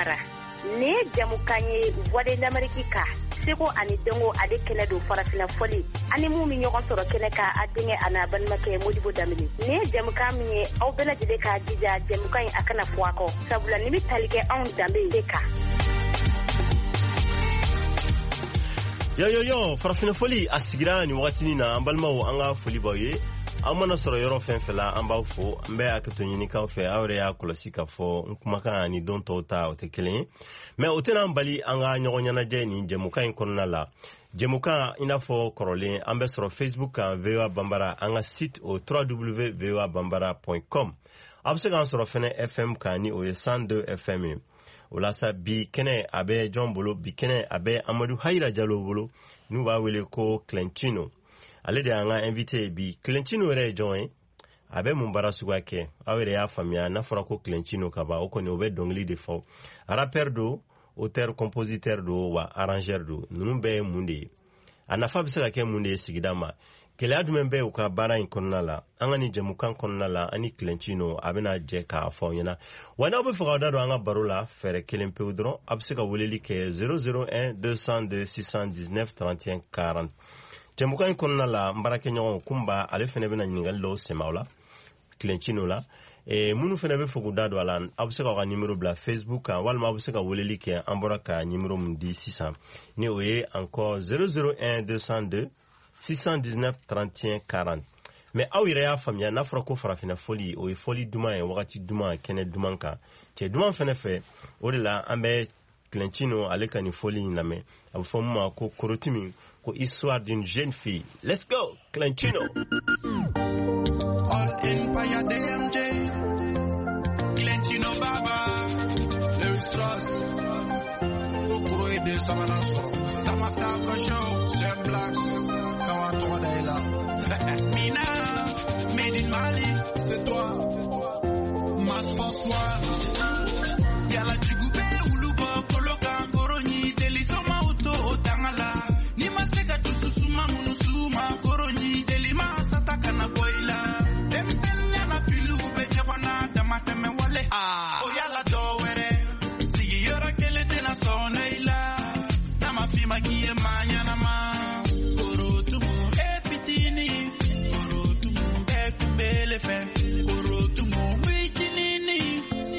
Nin ye jamukan ye Voix de l'Amérique ka seko ani dɔnko ale kɛnɛ don farafinna fɔli ani mun bɛ ɲɔgɔn sɔrɔ kɛnɛ kan a denkɛ a n'a balimakɛ Modibo Danbele. Nin ye jamukan min ye aw bɛɛ lajɛlen k'a jija jamukan in a kana fɔ a kɔ sabula nin bɛ tali kɛ anw danbe de kan. Yo yo yo, farafinna fɔli a sigira nin wagatinin na. An balimaw, an ka foli b'aw ye aw mana sɔrɔ yɔrɔ fɛn fɛn la. An b'aw fo, an bɛ hakɛto ɲinikaw fɛ. Aw yɛrɛ y'a kɔlɔsi k'a fɔ n kumakan ani don tɔw ta o tɛ kelen ye, mɛ o tɛna an bali an ka ɲɔgɔn ɲɛnajɛ nin jɛmukan in kɔnɔna la. Jɛmukan i n'a fɔ kɔrɔlen, an bɛ sɔrɔ Facebook kan, VOA Bambara, an ka site o www.voabambara.com. Aw bɛ se k'an sɔrɔ fɛnɛ FM kan, ni o ye 102 FM ye. O la sa, bi kɛnɛ a bɛ jɔn bolo? Bi kɛnɛ a bɛ Amadu Hayira Jalo bolo, n'u b'a wele ko Clentino. Ale de y'an ka invité ye bi. Clentino yɛrɛ ye jɔn ye? A bɛ mun baara suguya kɛ? Aw yɛrɛ y'a faamuya, n'a fɔra ko Clentino ka ban, o kɔni o bɛ dɔnkili de fɔ. Rappeur don, auteur compositeur don, wa arrangeur don. Ninnu bɛɛ ye mun de ye? A nafa bɛ se ka kɛ mun de ye sigida ma? Gɛlɛya jumɛn bɛ u ka baara in kɔnɔna la? An ka nin jɛmukan kɔnɔna la, an ni Clentino a bɛna jɛ k'a fɔ aw ɲɛna. Wa n'aw bɛ fɛ k'aw da don an ka baro la, fɛɛrɛ kelen pewu dɔrɔn, a bɛ se ka weleli kɛ 001 202 619 31 40. Jɛmukan in kɔnɔna la, n baarakɛɲɔgɔn Kunba, ale fɛnɛ bɛna ɲininkali dɔw sɛmɛ aw la Clentino la. Minnu fɛnɛ bɛ fɛ k'u da don a la, aw bɛ se k'aw ka nimero bila Facebook kan, walima aw bɛ se ka weleli kɛ an bɔra ka nimero min di sisan, ni o ye encore 001 202 619 31 40. Mais aw yɛrɛ y'a faamuya, n'a fɔra ko farafinna fɔli, o ye fɔli duman ye, wagati duman, kɛnɛ duman kan, cɛ duman fɛnɛ fɛ. O de la an bɛ Clentino ale ka nin fɔli in lamɛn. A bɛ fɔ min ma ko Korotimi, ko Histoire d'une jeune fille. Let's go, Clentino. All Empire DMJ, Clentino Baba, Lewis Ross, Kokoro ye den sabanan sɔrɔ, Sama Sako Show, Sir Blacks, Kawa tɔgɔ da i la. Mina, Made in Mali, c'est toi, Matt François, Yala jugu bɛ wulu bɔ kolo kan koro ɲi deli somaw to o tanga la n'i ma se ka dusu suma minnu suma koro ɲi deli ma sata kana bɔ i la denmisɛnninya na filiw bɛ ɲɔgɔn na damatɛmɛ wale o yala dɔ wɛrɛ sigiyɔrɔ kelen tɛna sɔn ne i la n'a ma f'i ma k'i ye maa ɲɛnama korotumu e fitini korotumu bɛɛ kun b'ele fɛ korotumu wicinini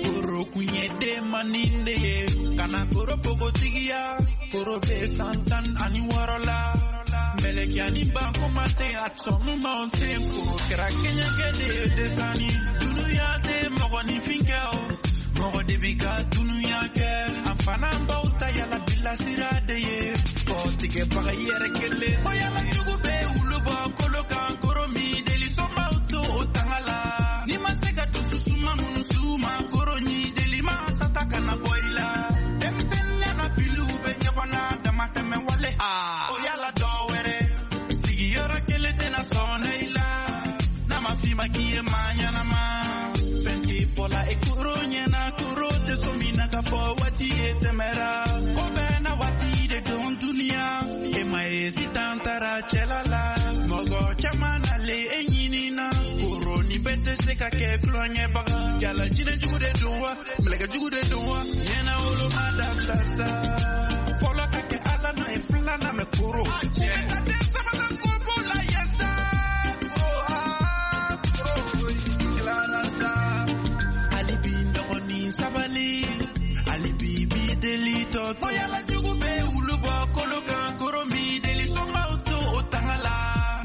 koro kun ye denmanin de ye kana koro pogotigiya koro bɛ san 16 la mɛlɛkɛ ani bankoma tɛ a sɔnnu ma tɛ koro kɛra kɛɲɛkɛ de ye desani dunuya tɛ mɔgɔninfin kɛ o mɔgɔ de bi ka dunuya kɛ a fana baw ta yala bilasira de ye kɔtigɛbaga yɛrɛ kelen o yala jugu bɛ wulu bɔ kolo kan koro min deli somaw to o tanga la n'i ma se ka dusu suma minnu suma koro ɲi deli ma sata kana bɔ i la denmisɛnninya na filiw bɛ ɲɔgɔn na damatɛmɛ wale o yala dɔ wɛrɛ sigiyɔrɔ kelen tɛna sɔn ne i la n'a ma f'i ma k'i ye maa ɲɛnama fɛn tɛ fɔla e koro ɲɛna koro tɛ so min na ka fɔ waati ye tɛmɛra ko bɛɛ na waati de don duniya e ma ye sitan taara cɛla la mɔgɔ caman nalen e ɲinina koro ni bɛɛ tɛ se ka kɛ tulonkɛbaga yala jinɛ jugu de don wa mɛlɛkɛ jugu de don wa ɲɛna wolo ma dabila sa fɔlɔ ka kɛ ala nɔ ye filanan mɛ koro ka den sabanan ko b'o la yɛ sa koro tilara sa hali bi n dɔgɔnin sabali hali bi bi deli tɔ o yala jugu bɛ wulu bɔ kolo kan koro min deli somaw to o tanga la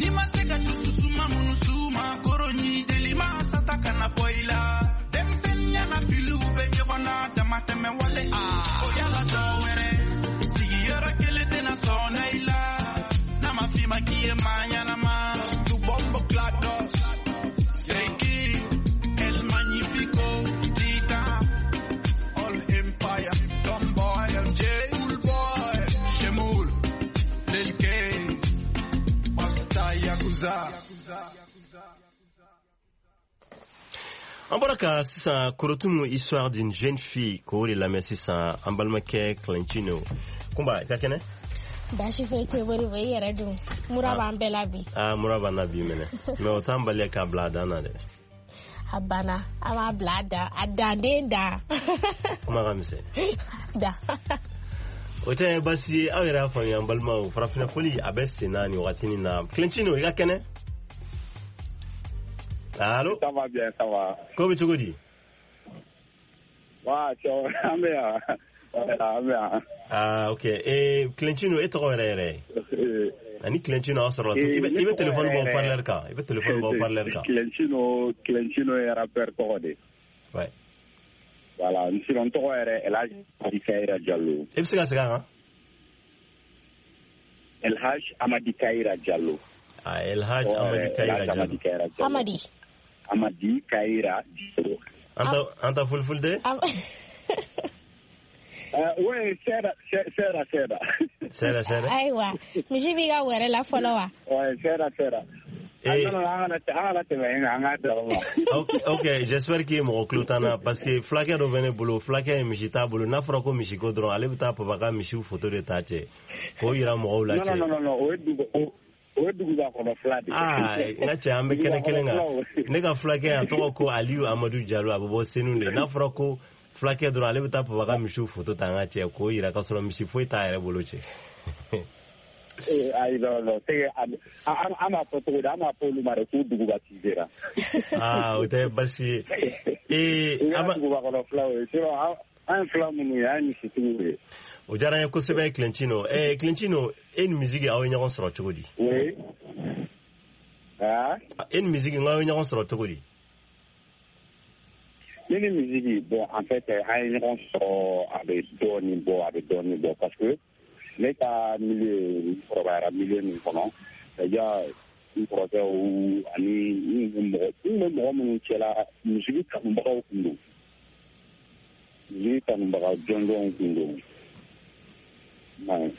n'i ma se ka dusu suma minnu suma koro ɲi deli ma sata kana bɔ i la denmisɛnninya na filiw bɛ ɲɔgɔn na damatɛmɛ wale o yala dɔ wɛrɛ sigiyɔrɔ kelen tɛna sɔn ne i la n'a ma f'i ma k'i ye maa ɲɛnama. Tu bombo clados, Seki, El Magnifico, Titan, All Empire, Tomboy, MJ, Cool Boy, Shemul, Lil K, Pasta Yakuza. An bɔra ka sisan Korotumu, Histoire d'une jeune fille, k'o de lamɛn sisan, an balimakɛ Clentino. Kunba, i ka kɛnɛ? Baasi foyi tɛ Modibo, i yɛrɛ dun? Mura b'an bɛɛ la bi. Aa, mura b'an na bi minɛ, mais o t'an bali k'a bila a dan na dɛ. A banna, an b'a bila a dan, a danden dan. Kuma ka misɛn. Da. O tɛ baasi ye, aw yɛrɛ y'a faamuya, n balimaw, farafinna foli a bɛ sen na nin wagatinin na. Clentino, i ka kɛnɛ? Allo? Ça va bien, ça va. Ko bɛ cogo di? Wa cɛ, an bɛ yan. An bɛ yan. Ah, ok. Clentino, e tɔgɔ yɛrɛ yɛrɛ? Ani Clentino aw sɔrɔ la. I bɛ téléphone bɔ parleur kan. I bɛ téléphone bɔ parleur kan. Clentino ye rappeur tɔgɔ de. Ouais. Voilà, sinon n tɔgɔ yɛrɛ El Hadj Amadi Kayira Diallo. E bɛ se ka segin a kan? El Hadj Amadi Kayira Diallo. Ah, El Hadj Amadi Kayira Diallo. Amadi. Amadi Kayira Diallo. An ta fulfulde? Oui, seeɗa seeɗa seeɗa. Seeɗa seeɗa. Ayiwa, misi b'i ka wɛrɛ la fɔlɔ wa? Ouais, seeɗa seeɗa. Ok, j'espère que mɔgɔ tulo t'an na, parce que fulakɛ dɔ bɛ ne bolo, fulakɛ ye misi t'a bolo. N'a fɔra ko misiko dɔrɔn, ale bɛ taa papa ka misiw photo de ta cɛ k'o yira mɔgɔw la cɛ. Non, non, non, o ye duguba kɔnɔ fila de. Ah, n ka cɛ, an bɛ kɛnɛ kelen kan. Ne ka fulakɛ, a tɔgɔ ko Aliyu Amadu Jalo, a bɛ bɔ Senu de. N'a fɔra ko fulakɛ dɔrɔn, ale bɛ taa papa ka misiw photo ta an ka cɛ k'o yira, k'a sɔrɔ misi foyi t'a yɛrɛ bolo cɛ. Ayi, non, non, c'est an b'a fɔ cogo di, an b'a fɔ olu ma de k'u duguba sera. Ah, o tɛ baasi ye. I ka duguba kɔnɔ filaw ye, sinon an ye fila minnu ye, an ye misitigiw ye. O diyara n ye kosɛbɛ, Clentino. Clentino, e ni musique aw ye ɲɔgɔn sɔrɔ cogo di? Oui. Ah? E ni musique aw ye ɲɔgɔn sɔrɔ cogo di? Ne ni musique, bon, en fait, an ye ɲɔgɔn sɔrɔ, a bɛ dɔɔnin bɔ, a bɛ dɔɔnin bɔ, parce que ne ka milieu, n kɔrɔbayara milieu min kɔnɔ, c'est-à-dire n kɔrɔkɛw ani n mɔgɔ, n bɛ mɔgɔ minnu cɛla, musique kanubagaw tun don. Musique kanubaga jɔnjɔnw tun don. N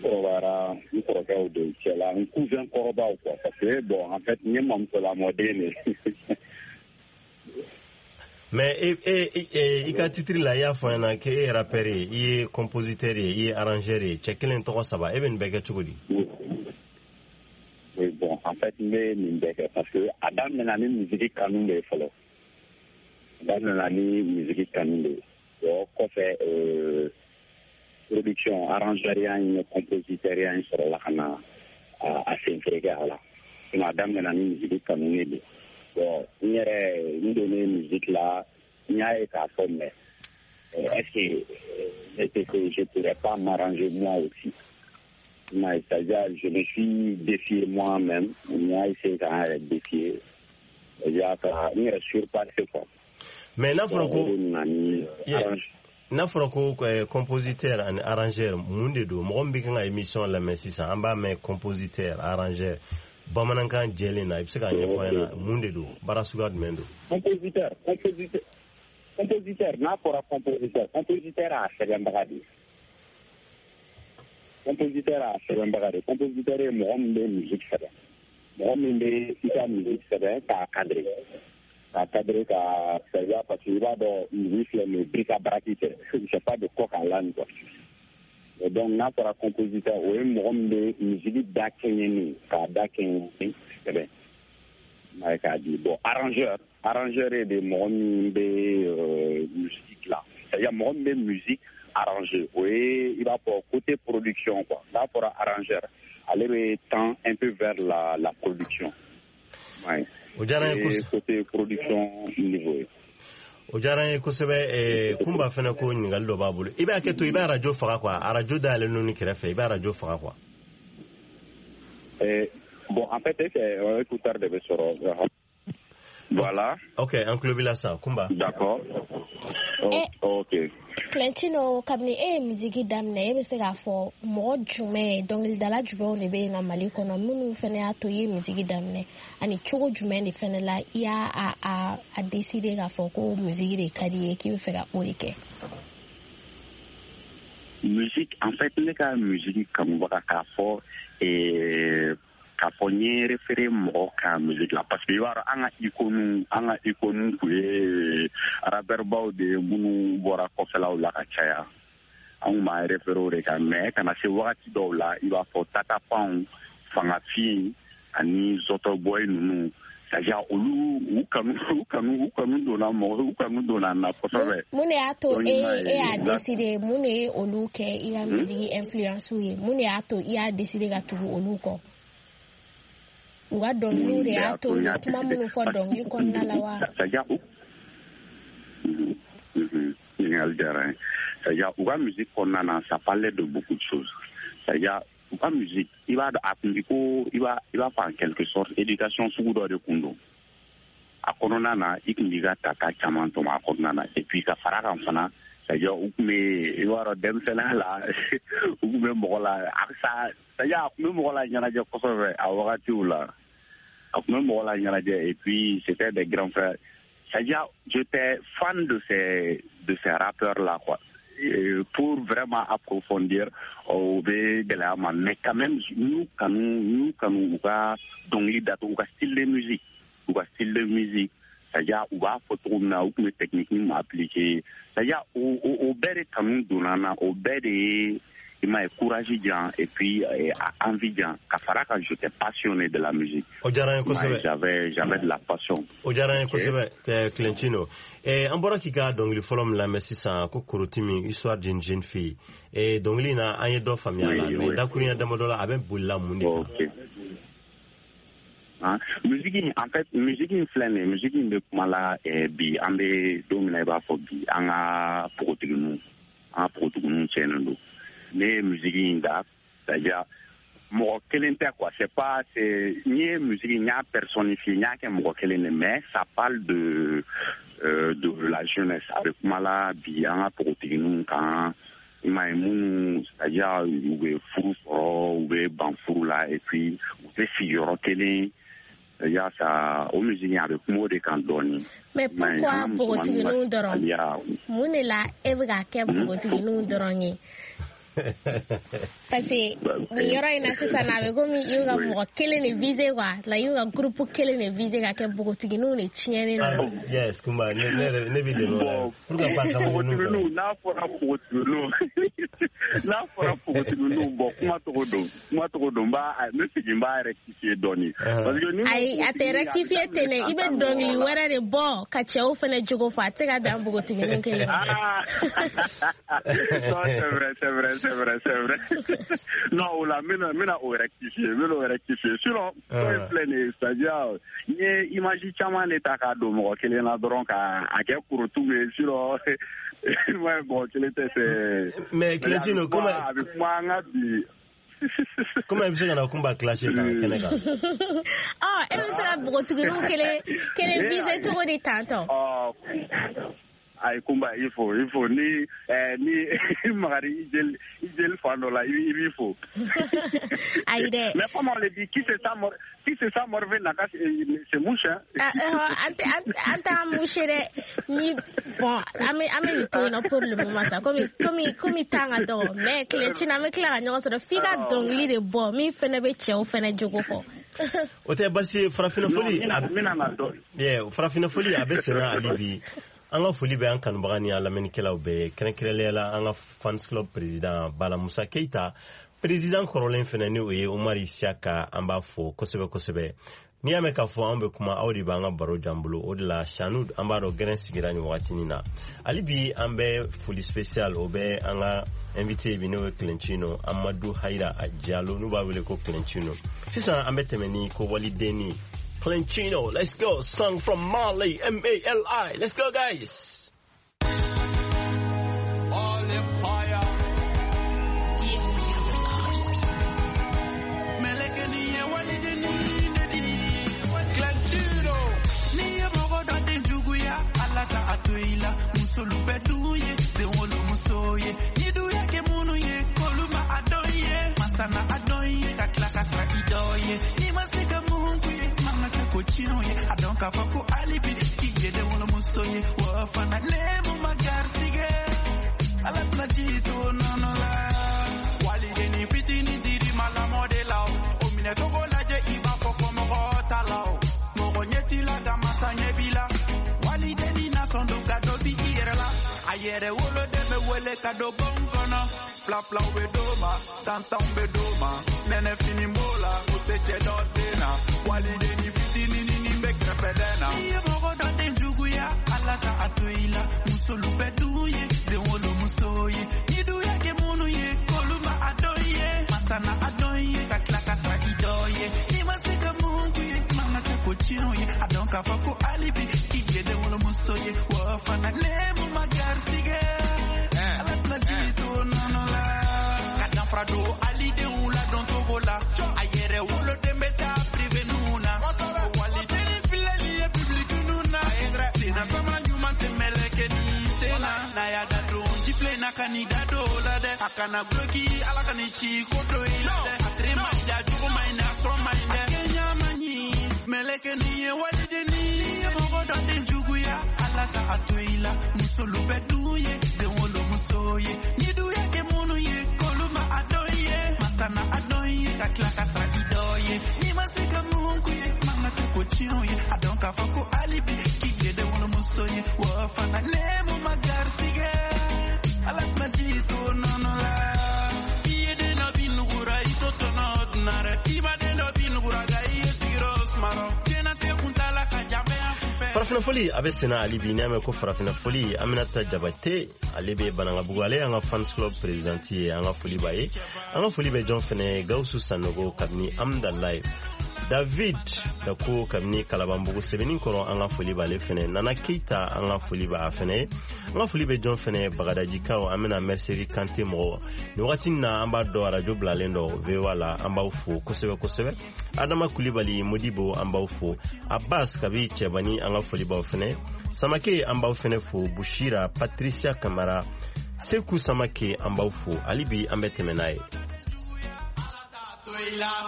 kɔrɔbayara n kɔrɔkɛw de cɛla, n cousin kɔrɔbaw quoi, parce que bon, en fait, n ye mamuso lamɔden de. Mais i ka titre la, i y'a fɔ n ɲɛna k'e ye rappeur ye, i ye compositeur ye, i ye arrangeur ye, cɛ kelen tɔgɔ saba, e bɛ nin bɛɛ kɛ cogo di? Oui, bon, en fait, n bɛ nin bɛɛ kɛ parce que a daminɛna ni musique kanu de ye fɔlɔ. A daminɛna ni musique kanu de ye. Bon, kɔfɛ, production, arrangeur ya in, compositeur ya in sɔrɔla ka na a senfereke a la. Sinon a daminɛna ni musique kanu de ye. Bon, n yɛrɛ, n donnen musique la, n y'a ye k'a fɔ, mais est-ce que je pourrais pas m'arranger moi aussi? C'est-à-dire, je me suis défié moi-même, n y'a essayé k'an yɛrɛ défier, c'est-à-dire ka n yɛrɛ surpasser quoi. Mais n'a fɔra ko n'a fɔra ko compositeur ani arrangeur, mun de don? Mɔgɔ min bɛ kan ka émission lamɛn sisan, an b'a mɛn compositeur, arrangeur, bamanankan jɛlen na, i bɛ se k'a ɲɛfɔ an ɲɛna mun de don, baara suguya jumɛn don? Compositeur, n'a fɔra compositeur, compositeur y'a sɛbɛnbaga de ye. Compositeur y'a sɛbɛnbaga de ye. Compositeur ye mɔgɔ min bɛ musique sɛbɛn, mɔgɔ min bɛ i ka musique sɛbɛn k'a cadrer, k'a cadrer, ka c'est-à-dire, parce que i b'a dɔn, musique filɛ nin ye, bric-à-brac tɛ, c'est pas de coq à l'âne quoi. Et donc n'a fɔra compositeur, o ye mɔgɔ min bɛ musique da kɛɲɛ, k'a da kɛɲɛ sɛbɛn k'a di. Bon, arrangeur, arrangeur ye de mɔgɔ min bɛ musique dilan, c'est-à-dire mɔgɔ min bɛ musique arranger, o ye i b'a fɔ côté production quoi. N'a fɔra arrangeur, ale bɛ tend un peu vers la production. Ouais. O diyara n ye kosɛbɛ. Côté production niveau ye. O diyara n ye kosɛbɛ. Kunba fɛnɛ ko ɲininkali dɔ b'a bolo. I b'a kɛ to, i b'a arajo faga quoi, arajo dayɛlɛn ni kɛrɛfɛ, i b'a arajo faga quoi. Bon, en fait, c'est écouteur de bɛ sɔrɔ. Voilà. Ok, an tulo b'i la sisan, Kunba. D'accord. Ok. Clentino, kabini e ye musique daminɛ, e bɛ se k'a fɔ mɔgɔ jumɛn, dɔnkilidala jumɛnw de bɛ yen nɔ Mali kɔnɔ minnu fɛnɛ y'a to i ye musique daminɛ, ani cogo jumɛn de fɛnɛ la i y'a a décider k'a fɔ ko musique de ka di i ye, k'i bɛ fɛ ka o de kɛ? Musique, en fait, ne ka musique kanubaga, k'a fɔ k'a fɔ n ye référé mɔgɔ ka musique la, parce que i b'a dɔn, an ka icône tun ye rappeur de ye minnu bɔra kɔfɛlaw la ka caya. An kun b'an référé o de kan, mais ka na se wagati dɔw la, i b'a fɔ Tata Pound, Fangafin ani Zɔtɔ Boy ninnu. C'est-à-dire olu u kanu donna mɔgɔ u kanu donna na kosɛbɛ. Mun de y'a to e y'a décider, mun de ye olu kɛ i ka musique influence ye, mun de y'a to i y'a décider ka tugu olu kɔ? U ka dɔnkiliw de y'a to, u ye kuma minnu fɔ dɔnkili kɔnɔna la wa? C'est-à-dire ɲininkali diyara n ye. C'est-à-dire u ka musique kɔnɔna na, ça parlait de beaucoup de choses. C'est-à-dire u ka musique, i b'a dɔn a kun bi ko i b'a fɔ en quelque sorte éducation sugu dɔ de kun don a kɔnɔna na, i kun b'i ka tata caman tɔmɔ a kɔnɔna na. Et puis ka fara kan fana, c'est-à-dire u kun bɛ, i b'a dɔn denmisɛnninya la, u kun bɛ mɔgɔ la c'est-à-dire a kun bɛ mɔgɔ la ɲɛnajɛ kosɛbɛ a wagatiw la, a kun bɛ mɔgɔ la ɲɛnajɛ. Et puis c'était des grands frères, c'est-à-dire j'étais fan de ces rappeurs là quoi. Et pour vraiment approfondir o bɛ gɛlɛya ma, mais quand même n'u kanu u ka dɔnkili datugu, u ka style de musique, c'est-à-dire u b'a fɔ cogo min na, u tun bɛ technique min appliquer, c'est-à-dire o bɛɛ de kanu donna n na, o bɛɛ de ye i m'a ye courage di yan et puis envie di yan. Ka fara kan, j'étais passionné de la musique. O diyara n ye kosɛbɛ. J'avais de la passion. O diyara n ye kosɛbɛ, Clentino. An bɔra k'i ka dɔnkili fɔlɔ min lamɛn sisan, ko Korotimi, histoire d'une jeune fille. Dɔnkili in na, an ye dɔ faamuya a la, mais dakuruɲɛ damadɔ la, a bɛ bolila mun de kan? Musique in, en fait, musique in filɛ nin ye, musique in bɛ kuma la bi, an bɛ don min na i b'a fɔ bi, an ka npogotigininw tiɲɛnen don. Ne ye musique in da, c'est-à-dire mɔgɔ kelen tɛ quoi, c'est pas, c'est n ye musique n y'a personnifié, n y'a kɛ mɔgɔ kelen de, mais ça parle de la jeunesse. A bɛ kuma la bi an ka npogotigininw kan, i m'a ye minnu, c'est-à-dire u bɛ furu sɔrɔ, u bɛ ban furu la, et puis u tɛ sigiyɔrɔ kelen. C'est-à-dire ça, o musique a bɛ kuma o de kan dɔɔni. Mais pourquoi npogotigininw dɔrɔn? Mun de la e bɛ k'a kɛ npogotigininw dɔrɔn ye? Parce que nin yɔrɔ in na sisan, a bɛ komi i bɛ ka mɔgɔ kelen de viser quoi, la i bɛ ka groupe kelen de viser ka kɛ npogotigininw de tiɲɛnen don. Yes, Kumba, ne b'i dɛmɛ o la. Pourquoi pas npogotigininw? N'a fɔra npogotigininw, bon kuma togo don, n bɛ segin n b'a rectifier dɔɔni. Parce que ayi, a tɛ rectifier ten dɛ, i bɛ dɔnkili wɛrɛ de bɔ ka cɛw fana jogo fɔ, a tɛ se ka dan npogotigininw kelen ma. Non, c'est vrai. C'est vrai. Non, o la, n bɛna o rectifier. Sinon, ko in filɛ nin ye, c'est-à-dire n ye image caman de ta k'a don mɔgɔ kelen na dɔrɔn k'a kɛ kurutu ye, sinon mɔgɔ kelen tɛ c'est. Mais Clentino, comment a bɛ kuma an ka bi. Comment i bɛ se ka na Kunba clasher tan kɛnɛ kan? E bɛ se ka npogotigininw kelen viser cogo di tantɔ? Ayi Kunba, il faut ni magari i jeli fan dɔ la, i b'i fo. Ayi dɛ. Mais comme on le dit, qui se sent morveux n'a qu'à se mouche. An t'an moucher dɛ. Ni bon, an bɛ nin to yen nɔ pour le moment sa, komi temps ka dɔgɔ, mais Clentino, an bɛ tila ka ɲɔgɔn sɔrɔ f'i ka dɔnkili de bɔ min fɛnɛ bɛ cɛw fɛnɛ jogo fɔ. O tɛ basi ye, farafinna foli. Farafinna foli a bɛ senna hali bi. An ka foli bɛ an kanubaga ni an lamɛnnikɛlaw bɛɛ, kɛrɛnkɛrɛnnenya la an ka fans club président Bala Musa Keita, président kɔrɔlen fɛnɛ ni o ye Umar Isiaka, an b'a fo kosɛbɛ kosɛbɛ. N'i y'a mɛn k'a fɔ an bɛ kuma, aw de b'an ka baro jan bolo, o de la Sanu an b'a dɔn gɛrɛn sigira nin wagatinin na. Hali bi an bɛ foli spécial o bɛ an ka invité bi, n'o ye Clentino Amadu Hayira Jalo, n'u b'a wele ko Clentino. Sisan an bɛ tɛmɛ ni kowaliden. Clentino, let's go. Song from Mali, M-A-L-I. Let's go, guys. All empire. Clentino. Ni ye mɔgɔ dɔ den juguya, Ala ka a to i la. Musolu bɛ du ye, den wolo muso ye. Ni du y'a kɛ minnu ye, k'olu ma a dɔn ye. Masa na a dɔn ye, ka tila ka sara i dɔ ye. N'i ma se ka mun k'u ye, man ka kɛ ko tiɲɛw ye. A dɔn k'a fɔ ko hali bi k'i ye den wolo muso ye. Wa fana nemu ma garisigɛ, Ala tɛna ji to nɔnɔ la. Waliden fitinin dir'i ma lamɔ de la o. O minɛ cogo lajɛ i b'a fɔ ko mɔgɔ t'a la o. Mɔgɔ ɲɛ t'i la ka masa ɲɛ b'i la. Waliden nasɔn don ka dɔ bi i yɛrɛ la. A yɛrɛ woloden bɛ wele ka don bon kɔnɔ. Fila filaw bɛ d'o ma, tan tanw bɛ d'o ma. Nɛnɛ fini b'o la, o tɛ cɛ dɔ den na. Waliden fitinin nin bɛ bɛdɛn na. N'i ye mɔgɔ dɔ den juguya Ala ka a to i la musolu bɛ du ye den wolomuso ye ni du y'a kɛ minnu ye k'olu ma a dɔn ye masa na a dɔn ye ka tila ka sara i dɔ ye n'i ma se ka mun k'u ye man ka kɛ ko tiɲɛw ye a dɔn k'a fɔ ko hali bi k'i ye den wolomuso ye wa fana ne mun ma garisigɛ Ala tɛna ji to nɔnɔ la ka danfara don alidenw la dɔn togo la a yɛrɛ woloden bɛ taa privé ninnu na waliden filɛ nin ye public ninnu na senna samara ɲuman tɛ mɛlɛkɛ ni sen na n'a y'a da don jifilen na ka n'i da don o la dɛ a kana guloki Ala ka n'i ci ko dɔ i la dɛ a tere ma ɲi dɛ a jogo ma ɲi dɛ a sɔrɔ ma ɲi dɛ a kɛɲa ma ɲi mɛlɛkɛ nin ye waliden ni ye mɔgɔ dɔ den juguya Ala ka a to i la musolu bɛ du ye den wolomuso ye ni du y'a kɛ minnu ye k'olu ma a dɔn ye masa na a dɔn ye ka tila ka sara i dɔ ye n'i ma se ka mun k'u ye man ka kɛ ko tiɲɛw ye a dɔn k'a fɔ ko hali bi k'i ye den wolomuso ye wa fana ne mun ma garisigɛ Ala tɛna ji to nɔnɔ la i ye den dɔ bin nugura i to tɔnɔ dunna dɛ i ma den dɔ bin nugura nka i ye sigiyɔrɔ sumarɔ diɲɛnatigɛ kuntaala ka jan bɛɛ y'an kunfɛ. Farafinafoli a bɛ senna hali bi. N'i y'a mɛn ko farafinafoli, Aminata Jabate ale bɛ Banankabugu, ale y'an ka fans club présidente ye. An ka foli b'a ye. An ka foli bɛ jɔn fɛnɛ? Gawusu Sanogo kabini Amdalaye, David Dako kabini Kalabanbugu sɛbɛnni kɔrɔ, an ka foli b'ale fɛnɛ. Nana Keita, an ka foli b'a fɛnɛ ye. An ka foli bɛ jɔn fɛnɛ? Bagadajikaw, an bɛna Mercerie Kante mɔgɔ nin wagati na, an b'a dɔn arajo bilalen dɔ VOA la, an b'aw fo kosɛbɛ kosɛbɛ. Adama Kulibali Modibo, an b'aw fo. Abbas kabi Cɛbani, an ka foli b'aw fɛnɛ. Samake, an b'aw fɛnɛ fo. Bushira Patricia Kamara, Seku Samake, an b'aw fo. Hali bi an bɛ tɛmɛ n'a ye.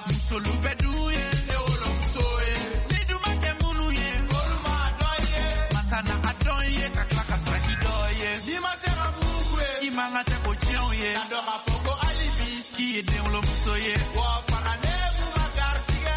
Musolu bɛ du ye ne wolomuso ye ni du ma kɛ minnu ye olu ma dɔn ye masa na a dɔn ye ka tila ka sara i dɔ ye n'i ma se ka mun k'u ye i man ka tɛ ko tiɲɛw ye ka dɔn k'a fɔ ko hali bi k'i ye den wolomuso ye wa fana ne mun ma garisigɛ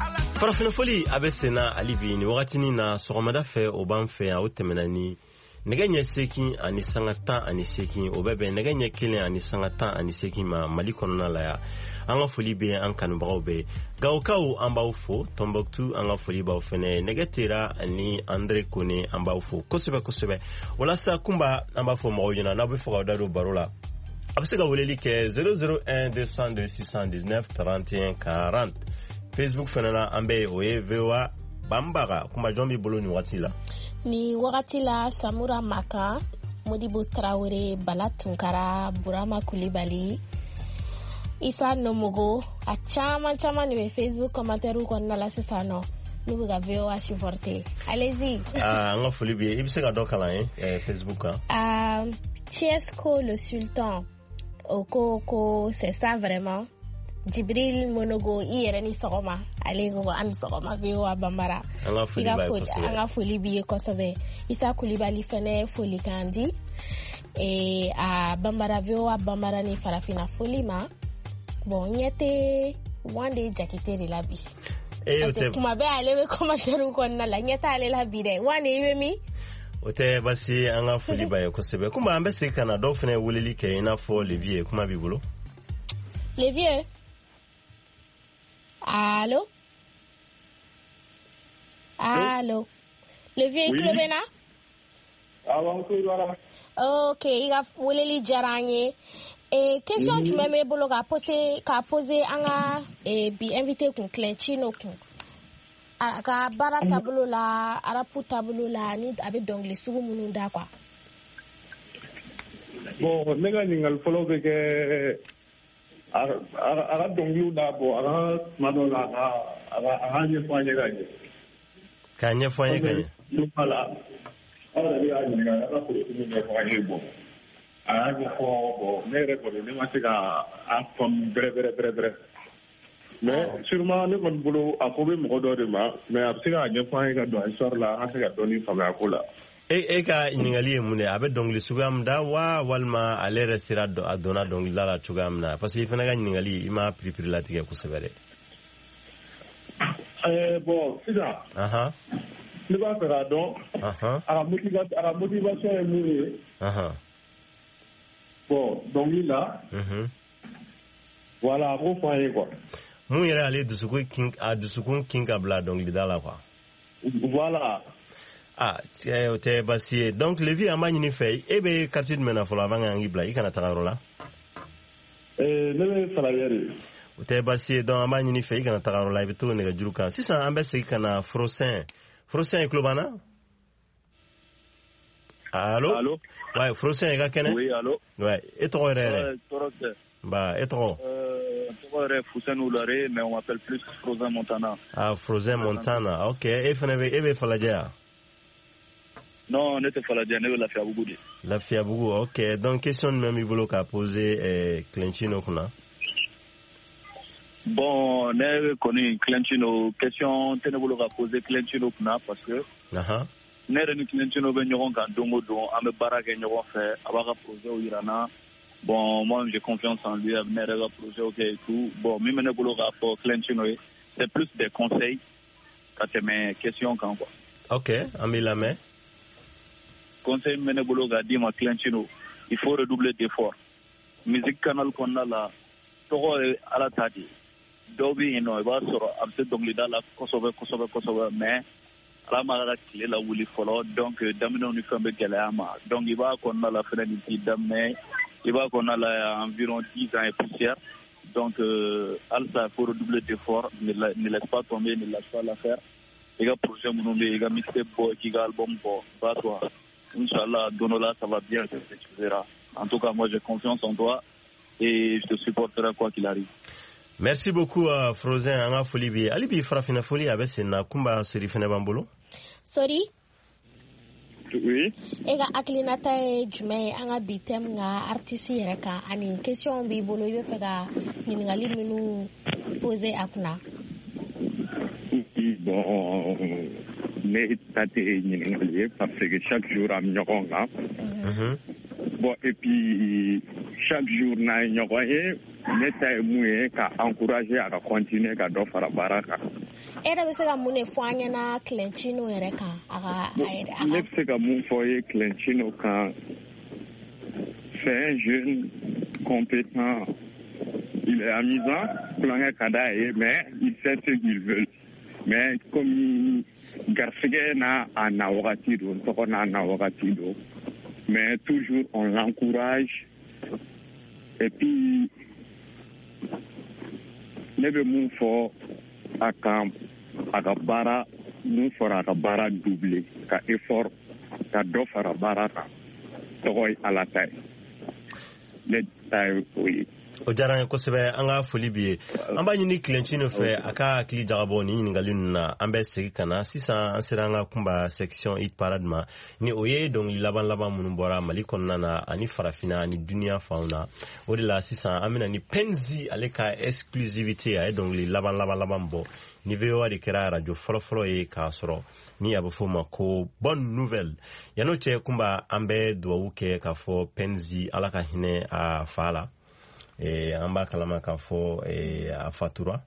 Ala. Farafinafoli a bɛ senna hali bi nin wagatinin na sɔgɔmada fɛ, o b'an fɛ yan. O tɛmɛna ni nɛgɛ ɲɛ 8:18, o bɛ bɛn nɛgɛ ɲɛ 1:18 ma Mali kɔnɔna la yan. An ka foli bɛ an kanubagaw bɛɛ. Gawokaw, an b'aw fo. Tɔnbɔkutu, an ka foli b'aw fɛnɛ. Nɛgɛ tera ani Andre Kone, an b'aw fo kosɛbɛ kosɛbɛ. Walasa kunba, an b'a fɔ mɔgɔw ɲɛna, n'aw bɛ fɛ k'aw da don baro la, a bɛ se ka weleli kɛ 001 202 619 31 40. Facebook fɛnɛ na, an bɛ yen, o ye VOA Banbaga. Kuma jɔn b'i bolo nin waati la? Ni wagati la, Samura Makan, Modibo Traore, Bala Tunkara, Burama Kulibali, Isa Nomogo, a caman caman de bɛ Facebook commentaire kɔnɔna la sisan nɔ n'u bɛ ka VOA supporter. Allez-y. Ah, an ka foli b'i ye. I bɛ se ka dɔ kalan ye Facebook kan? Chiesko le Sultan o ko ko c'est ça vraiment. Jibril Monogo, i yɛrɛ ni sɔgɔma. Ale ko an ni sɔgɔma VOA Bambara. An ka foli b'a ye kosɛbɛ. An ka foli b'i ye kosɛbɛ. Isa Kulibali fɛnɛ foli kan di a Bambara, VOA Bambara ni farafinna foli ma. Bon, ɲɛ tɛ Wande Jakite de la bi. O parce que tɛ kuma bɛɛ ale bɛ commentaire kɔnɔna la, ɲɛ t'ale la bi dɛ. Wande, i bɛ min? O tɛ basi, an ka foli b'a ye kosɛbɛ. Kuma an bɛ segin ka na, dɔw fɛnɛ weleli kɛ i n'a fɔ Levier, kuma b'i bolo. Levier. Allo? Allo? Levier, i tulo bɛ n na? Awɔ, n tulo b'a la. Ok, i ka weleli diyara an ye. Question jumɛn b'e bolo ka poser an ka bi invité kun, Clentino kun? A ka baara taabolo la, rap taabolo la, ni a bɛ dɔnkili sugu minnu da quoi. Bon, ne ka ɲininkali fɔlɔ bɛ kɛ a ka dɔnkiliw da bɔ a ka tuma dɔw la, a ka ɲɛfɔ an ye ka ɲɛ. K'a ɲɛfɔ an ye ka ɲɛ. Voilà. Aw yɛrɛ bɛ k'a ɲininka a ka politique ɲɛfɔ an ye. Bon, a y'a ɲɛfɔ. Bon, ne yɛrɛ kɔni, ne ma se ka a faamu bɛrɛ bɛrɛ bɛrɛ bɛrɛ. Mais sûrement ne kɔni bolo, a ko bɛ mɔgɔ dɔ de ma, mais a bɛ se k'a ɲɛfɔ an ye ka don histoire la, an ka se ka dɔɔni faamuya a ko la. E ka ɲininkali ye mun de ye? A bɛ dɔnkili suguya min da wa, walima ale yɛrɛ sera a donna dɔnkilida la cogoya min na? Parce que i fana ka ɲininkali, i ma piripiri latigɛ kosɛbɛ dɛ. Bon, sisan ne b'a fɛ k'a dɔn a ka motivation ye mun ye. Bon, dɔnkili la, voilà, a k'o fɔ an ye quoi. Mun yɛrɛ ale dusukun kin, a dusukun kin ka bila dɔnkilida la quoi. Voilà. Ah, o tɛ baasi ye. Donc Levi, an b'a ɲini fɛ, e bɛ quartier jumɛn na fɔlɔ avant k'an k'i bila i kana taga yɔrɔ la? Ne bɛ Falajɛ de. O tɛ baasi ye. Donc an b'a ɲini fɛ i kana taga yɔrɔ la, i bɛ to nɛgɛjuru kan. Sisan an bɛ segin ka na Frosin. Frosin, i tulo b'an na? Allo? Allo? Ouais, Frosin, i ka kɛnɛ? Oui, allo? Ouais, e tɔgɔ yɛrɛ yɛrɛ? Tɔɔrɔ tɛ. Ba, e tɔgɔ? Tɔgɔ yɛrɛ Fuseni Oulare, mais on m'appelle plus Frozen Montana. Ah, Frozen Montana, ok. E fana bɛ, e bɛ Falajɛ yan? Non, ne tɛ Falajɛ, ne bɛ Lafiyabugu de. Lafiyabugu, ok. Donc question jumɛn b'i bolo k'a poser Clentino kunna? Bon, ne kɔni Clentino, question tɛ ne bolo ka poser Clentino kunna parce que ne yɛrɛ ni Clentino bɛ ɲɔgɔn kan don o don, an bɛ baara kɛ ɲɔgɔn fɛ, a b'a ka projet yira n na. Bon, moi j'ai confiance en lui, a bɛ ne yɛrɛ ka projet kɛ et tout. Bon, min bɛ ne bolo k'a fɔ Clentino ye, c'est plus des conseils ka tɛmɛ question kan quoi. Ok, an b'i lamɛn. Conseil min bɛ ne bolo k'a d'i ma Clentino, il faut redoubler d'efforts. Musique canal kɔnɔna la, tɔgɔ ye Ala ta de ye. Dɔw bɛ yen nɔ, i b'a sɔrɔ a bɛ se dɔnkilida la kosɛbɛ kosɛbɛ kosɛbɛ, mais Ala ma ka tile lawuli fɔlɔ, donc daminɛw ni fɛn bɛ gɛlɛya ma. Donc i b'a kɔnɔna la fɛnɛ nin t'i daminɛ, i b'a kɔnɔna la environ 10 ans et poussière. Donc halisa il faut redoubler d'efforts, ne laisse pas tomber, ne lâche pas l'affaire. I ka projet minnu bɛ yen, i ka mixtape bɔ, k'i ka album bɔ, bats-toi. Inch'Allah, don dɔ la ça va bien, tu verras. En tout cas, moi j'ai confiance en toi et je te supporterai quoi qu'il arrive. Merci beaucoup Frozen, an ka foli b'i ye. Hali bi farafinna foli a bɛ sen na, Kunba Sori fɛnɛ b'an bolo. Sori? Oui. E ka hakilinata ye jumɛn ye an ka bi thème ka artiste yɛrɛ kan, ani question b'i bolo i bɛ fɛ ka ɲininkali minnu poser a kunna? Bon, ne ta tɛ ɲininkali ye parce que chaque jour an bɛ ɲɔgɔn kan. Bon, et puis chaque jour n'an ye ɲɔgɔn ye, ne ta ye mun ye ka encourager a ka continuer ka dɔ fara baara kan. E yɛrɛ bɛ se ka mun de fɔ an ɲɛna Clentino yɛrɛ kan? A ka a yɛrɛ a Ne bɛ se ka mun fɔ ye Clentino kan, c'est un jeune compétent, il est amusant, tulonkɛ ka d'a ye, mais il sait ce qu'il veut. Mais comme garisɛgɛ n'a a na wagati don, tɔgɔ n'a na wagati don, mais toujours on l'encourage. Et puis ne bɛ mun fɔ a kan, a ka baara mun fɔra, a ka baara doubler, ka effort, ka dɔ fara baara kan. Tɔgɔ ye Ala ta ye, ne ta ye o ye. O diyara an ye kosɛbɛ, an ka foli b'i ye. An b'a ɲini Clentino fɛ a ka hakili jagabɔ nin ɲininkali ninnu na. An bɛ segin ka na sisan, an sera an ka Kunba section hit parade ma, ni o ye dɔnkili laban laban minnu bɔra Mali kɔnɔna na ani farafinna ani duniya fanw na. O de la sisan an bɛna ni Penzi ale ka exclusivité, a ye dɔnkili laban laban laban bɔ ni VOA de kɛra radio fɔlɔfɔlɔ ye k'a sɔrɔ, ni a bɛ f'o ma ko bonne nouvelle. Yan'o cɛ Kunba, an bɛ dugawu kɛ k'a fɔ Penzi Ala ka hinɛ a fa la. An b'a kalama k'a fɔ a fatura.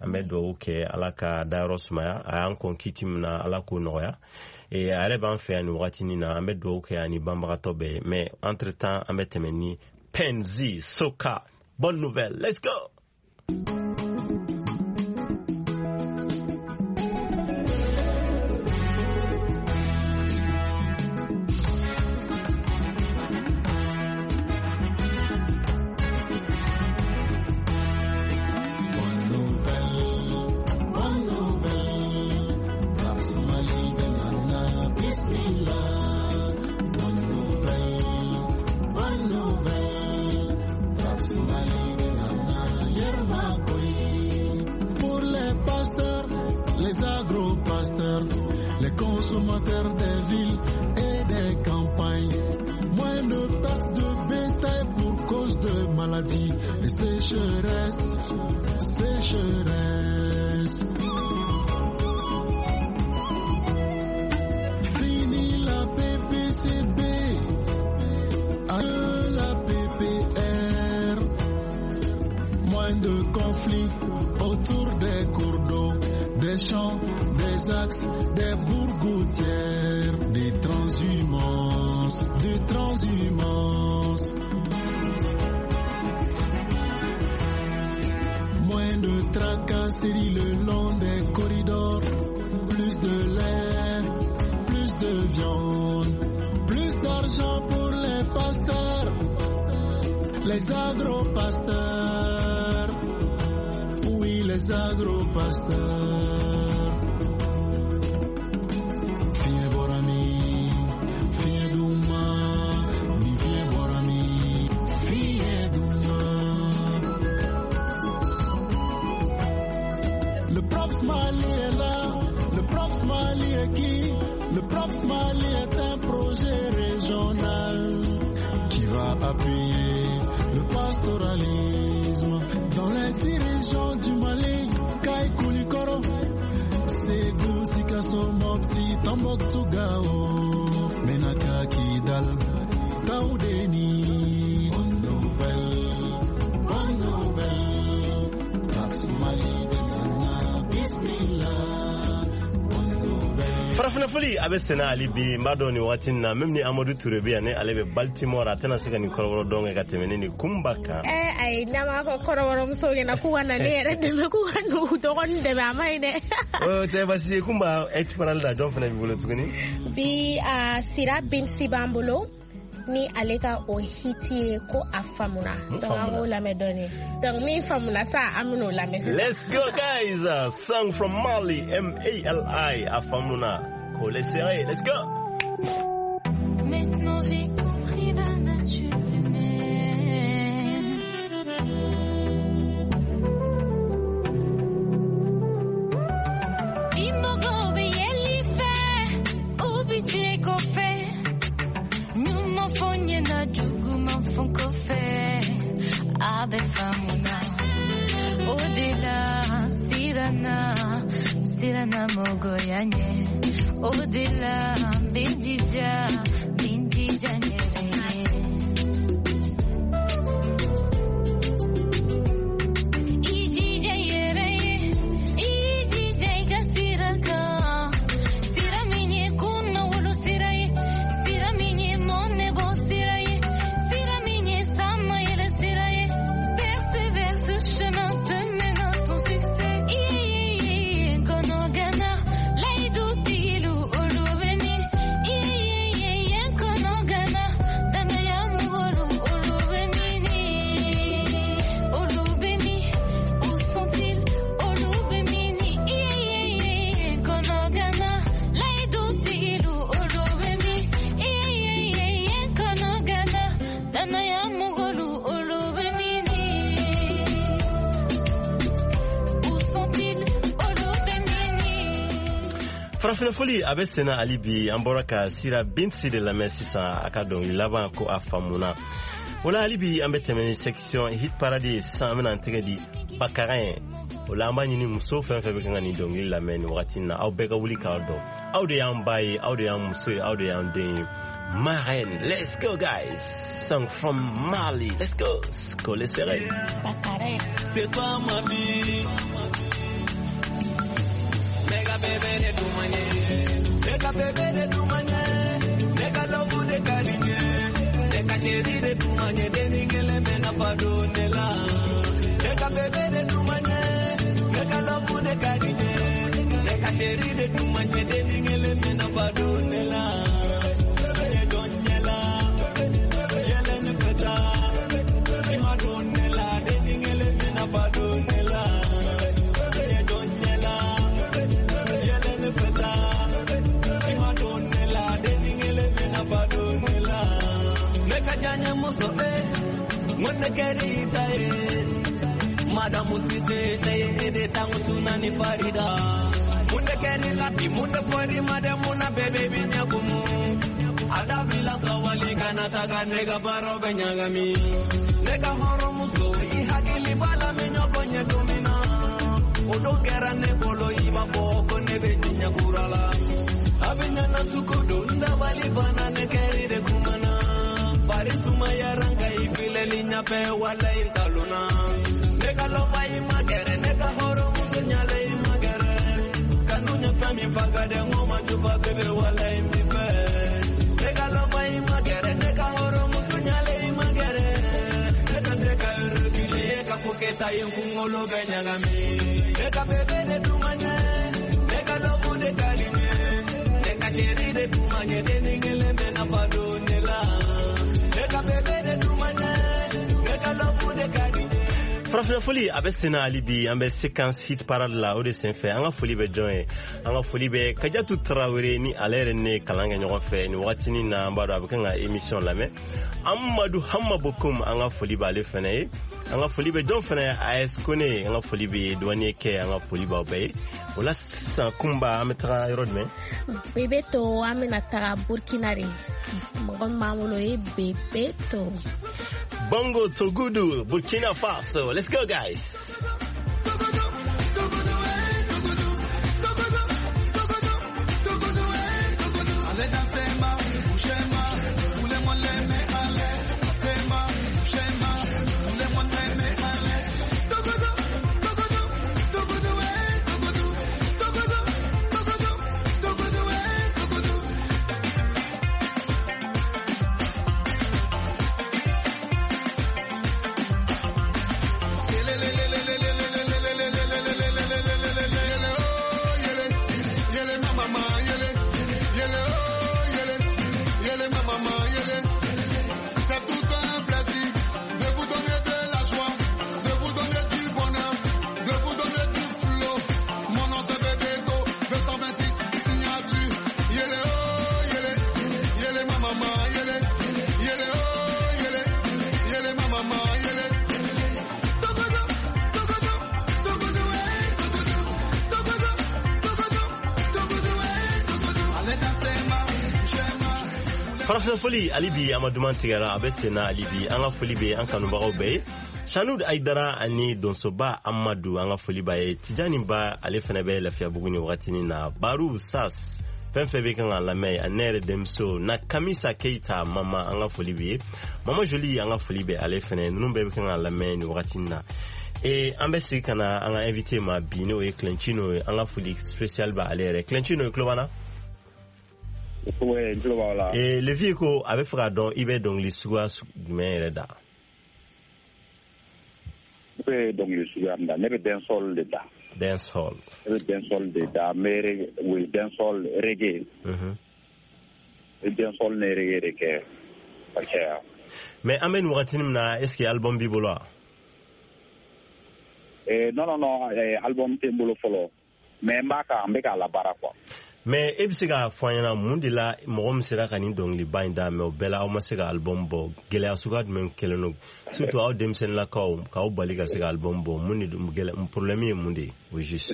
An bɛ dugawu kɛ Ala ka dayɔrɔ sumaya, a y'an kɔn kiti min na Ala k'o nɔgɔya. A yɛrɛ b'an fɛ yan nin wagatinin na, an bɛ dugawu kɛ ani banbagatɔ bɛɛ ye. Mais entre temps an bɛ tɛmɛ ni Penzi Soka bonne nouvelle, let's go. Les consommateurs des villes et des campagnes, moins de pertes de bétail pour cause de maladies et sécheresse, sécheresse. Fini la PPCB, adieu la PPR, moins de conflits autour des cours d'eau, des champs, des axes, des bourgoutières, des transhumances, des transhumances. Moins de tracasseries le long des corridors, plus de l'air. Les agro-pasteurs, oui les agro-pasteurs. Fiɲɛ bɔra min, fiɲɛ duman, ni fiɲɛ bɔra min, fiɲɛ duman. Le Props Mali est là, le Props Mali est qui? Le Props Mali est un projet régional qui va appuyer le pastoralisme dans les 10 régions du Mali. Kayes, Koulikoro, Ségou, Sikasso, Mopti, Tombouctou, Gao, Menaka, Kidal, Taoudeni. Bonne nouvelle, bonne nouvelle, Props Mali de Ghana, Bismillah. Bonne nouvelle. Farafina foli a bɛ senna hali bi. N b'a dɔn nin waati in na, même ni Amadu Ture bɛ yan, ne ale bɛ Baltimore, a tɛna se ka nin kɔrɔbɔrɔ dɔn kɛ ka tɛmɛ ne ni Kunba kan. Ayi, n'an b'a fɔ kɔrɔbɔrɔmusow ɲɛna k'u ka na ne yɛrɛ dɛmɛ, k'u ka n'u dɔgɔnin dɛmɛ, a ma ɲi dɛ. O tɛ basi ye. Kunba, hit parade la, jɔn fana b'i bolo tuguni? Bi a Sira Binsi b'an bolo ni ale ka o hit ye ko a faamuna. Mun Donc an faamuna? k'o lamɛn dɔɔni. Donc min faamuna sa, an bɛn'o lamɛn sisan. Let's go guys. Song from Mali, M-A-L-I, a faamuna. Collez serré, let's go. Maintenant j'ai compris la nature humaine. Imogo yeli fe, ubije ko fe. Nyuma fonye na jugu man fon ko fe. Abe famuna. Odela sirana, sirana mogo yanye. Odela benjija, benjija nyere. Ijija yere, ijija iga siraka. Sira minye kunna wolo siraye, sira minye monne bo siraye, sira minye sama yere siraye. Persévère, ce chemin te mène à ton succès. Iye, kono gana, laidu tilu olubemi. Iye, kono gana, danaya mugolu olubemi ni. Olubemi, où sont-ils? Olubemi ni. Iye, kono gana, laidu tilu olubemi. Iye, kono gana, danaya mugolu olubemi ni. Où sont-ils? Olubemi ni. Farafina foli a bɛ senna hali bi. An bɔra ka Sira Binsi de lamɛn sisan, a ka dɔnkili laban ko a faamuna. O la hali bi an bɛ tɛmɛ ni section hit parade ye sisan. An bɛna an tɛgɛ di Bakarin ye. O la an b'a ɲini muso fɛn fɛn bɛ kan ka nin dɔnkili lamɛn nin wagati in na, aw bɛɛ ka wuli k'aw dɔn. Aw de y'an ba ye, aw de y'an muso ye, aw de y'an den ye. Marraine, let's go guys. Song from Mali, let's go. Collez serré. Bakarin. C'est toi ma vie. Mega bébé de Doumane. Mega bébé de Doumane. Mega love de Kalinye. Mega chéri de Doumane. Deningele mena fadonela. Mega bébé de Doumane. Mega love de Kalinye. Mega chéri de Doumane. Deningele mena fadonela. Bébé donyela. Yele ne feta. Imadonela. Deningele mena fadonela. Bébé donyela. Yele ne feta. Imadonela. Deningele mena fadonela. Meka janya muso eh. Ngone kerita eh. Madamu Sise ne ede tangu sunani Farida. Munde keri lati munde fori madamu na bebe binyakumu. Adabila sawali kana taka nega baro benyagami. Nega horo muso i hakili bala minyoko nyetumina. Odongera ne bolo iba foko ne bejinya kurala. Abinya na sukodo ndabali bana ne keri de kumana. Bari sumaya ranga ifile linya pe wala intaluna. Nega lova imagere nega horo muso nyale imagere. Kanunya fami faga de ngoma jufa bebe wala imife. Nega lova imagere nega horo muso nyale imagere. Nega seka erukile eka kuketa yengungolo benyagami. Nega bebe de dumanye nega lovu de kalinye. Nega sheri de dumanye deningele mena fadonela. Nega bebe de dumanye nega Farafinna foli a bɛ senna hali bi, an bɛ séquence hit parade la. O de senfɛ, an ka foli bɛ jɔn ye? An ka foli bɛ Kajatu Tarawele ni ale yɛrɛ ne kalan kɛ ɲɔgɔn fɛ nin wagatinin na. An b'a dɔn a bɛ kan ka émission lamɛn. Amadu Hama Bokum, an ka foli b'ale fɛnɛ ye. An ka foli bɛ jɔn fɛnɛ ye? AS Kone, an ka foli bɛ douanier kɛ, an ka foli b'aw bɛɛ ye. O la sisan, Kunba, an bɛ taga yɔrɔ jumɛn? Bebeto, an bɛna taga Burkina de. Mɔgɔ min b'an bolo, o ye Bebeto. Bongo Togudu, Burkina Faso. Let's go, guys. C'est tout un plaisir de vous donner de la joie, de vous donner du bonheur, de vous donner du flow. Mon nom c'est Bebeto, 226 signature. Yele oh, yele, yele ma maman, yele, yele oh, yele, yele ma maman, yele. Togodo, togodo, togodo, eh, togodo, togodo, togodo, togodo, eh, togodo. Allez danser ma, bouger ma. Farafina foli hali bi, a ma duman tigɛra, a bɛ senna hali bi. An ka foli bɛ an kanubagaw bɛɛ ye, Sanud Aidara ani Donsoba Amadu, an ka foli b'a ye. Tijani Ba, ale fɛnɛ bɛ Lafiyabugu ni wagatinin na. Baru Sas, fɛn fɛn bɛ kan ka lamɛn, ani ne yɛrɛ denmuso na Kamisa Keita mama, an ka foli bɛ ye. Mama Joli, an ka foli bɛ ale fɛnɛ. Ninnu bɛɛ bɛ kan ka lamɛn ni wagatinin na. E an bɛ segin ka na an ka invité ma bi, n'o ye Clentino ye. An ka foli spécial b'ale yɛrɛ. Clentino ye, tulo b'an na? Ouais, n tulo b'aw la. E Levi ko a bɛ fɛ k'a dɔn i bɛ dɔnkili suguya jumɛn yɛrɛ da? Ne bɛ dɔnkili suguya min da, ne bɛ dancehall de da. Dancehall. Ne bɛ dancehall de da, n bɛ reggae, oui, dancehall, reggae. N bɛ dancehall ni reggae de kɛ ka caya. Mais an bɛ nin wagatinin min na, est ce que album b'i bolo wa? Non, non, non, album tɛ n bolo fɔlɔ, mais n b'a kan, n bɛ k'a labaara quoi. Mais e bɛ se k'a fɔ an ɲɛna mun de la mɔgɔ min sera ka nin dɔnkiliba in da, mais o bɛɛ la aw ma se ka album bɔ? Gɛlɛya suguya jumɛn kɛlen don, surtout aw denmisɛnninlakaw, k'aw bali ka se ka album bɔ? Mun de gɛlɛ, problème ye mun de ye au juste?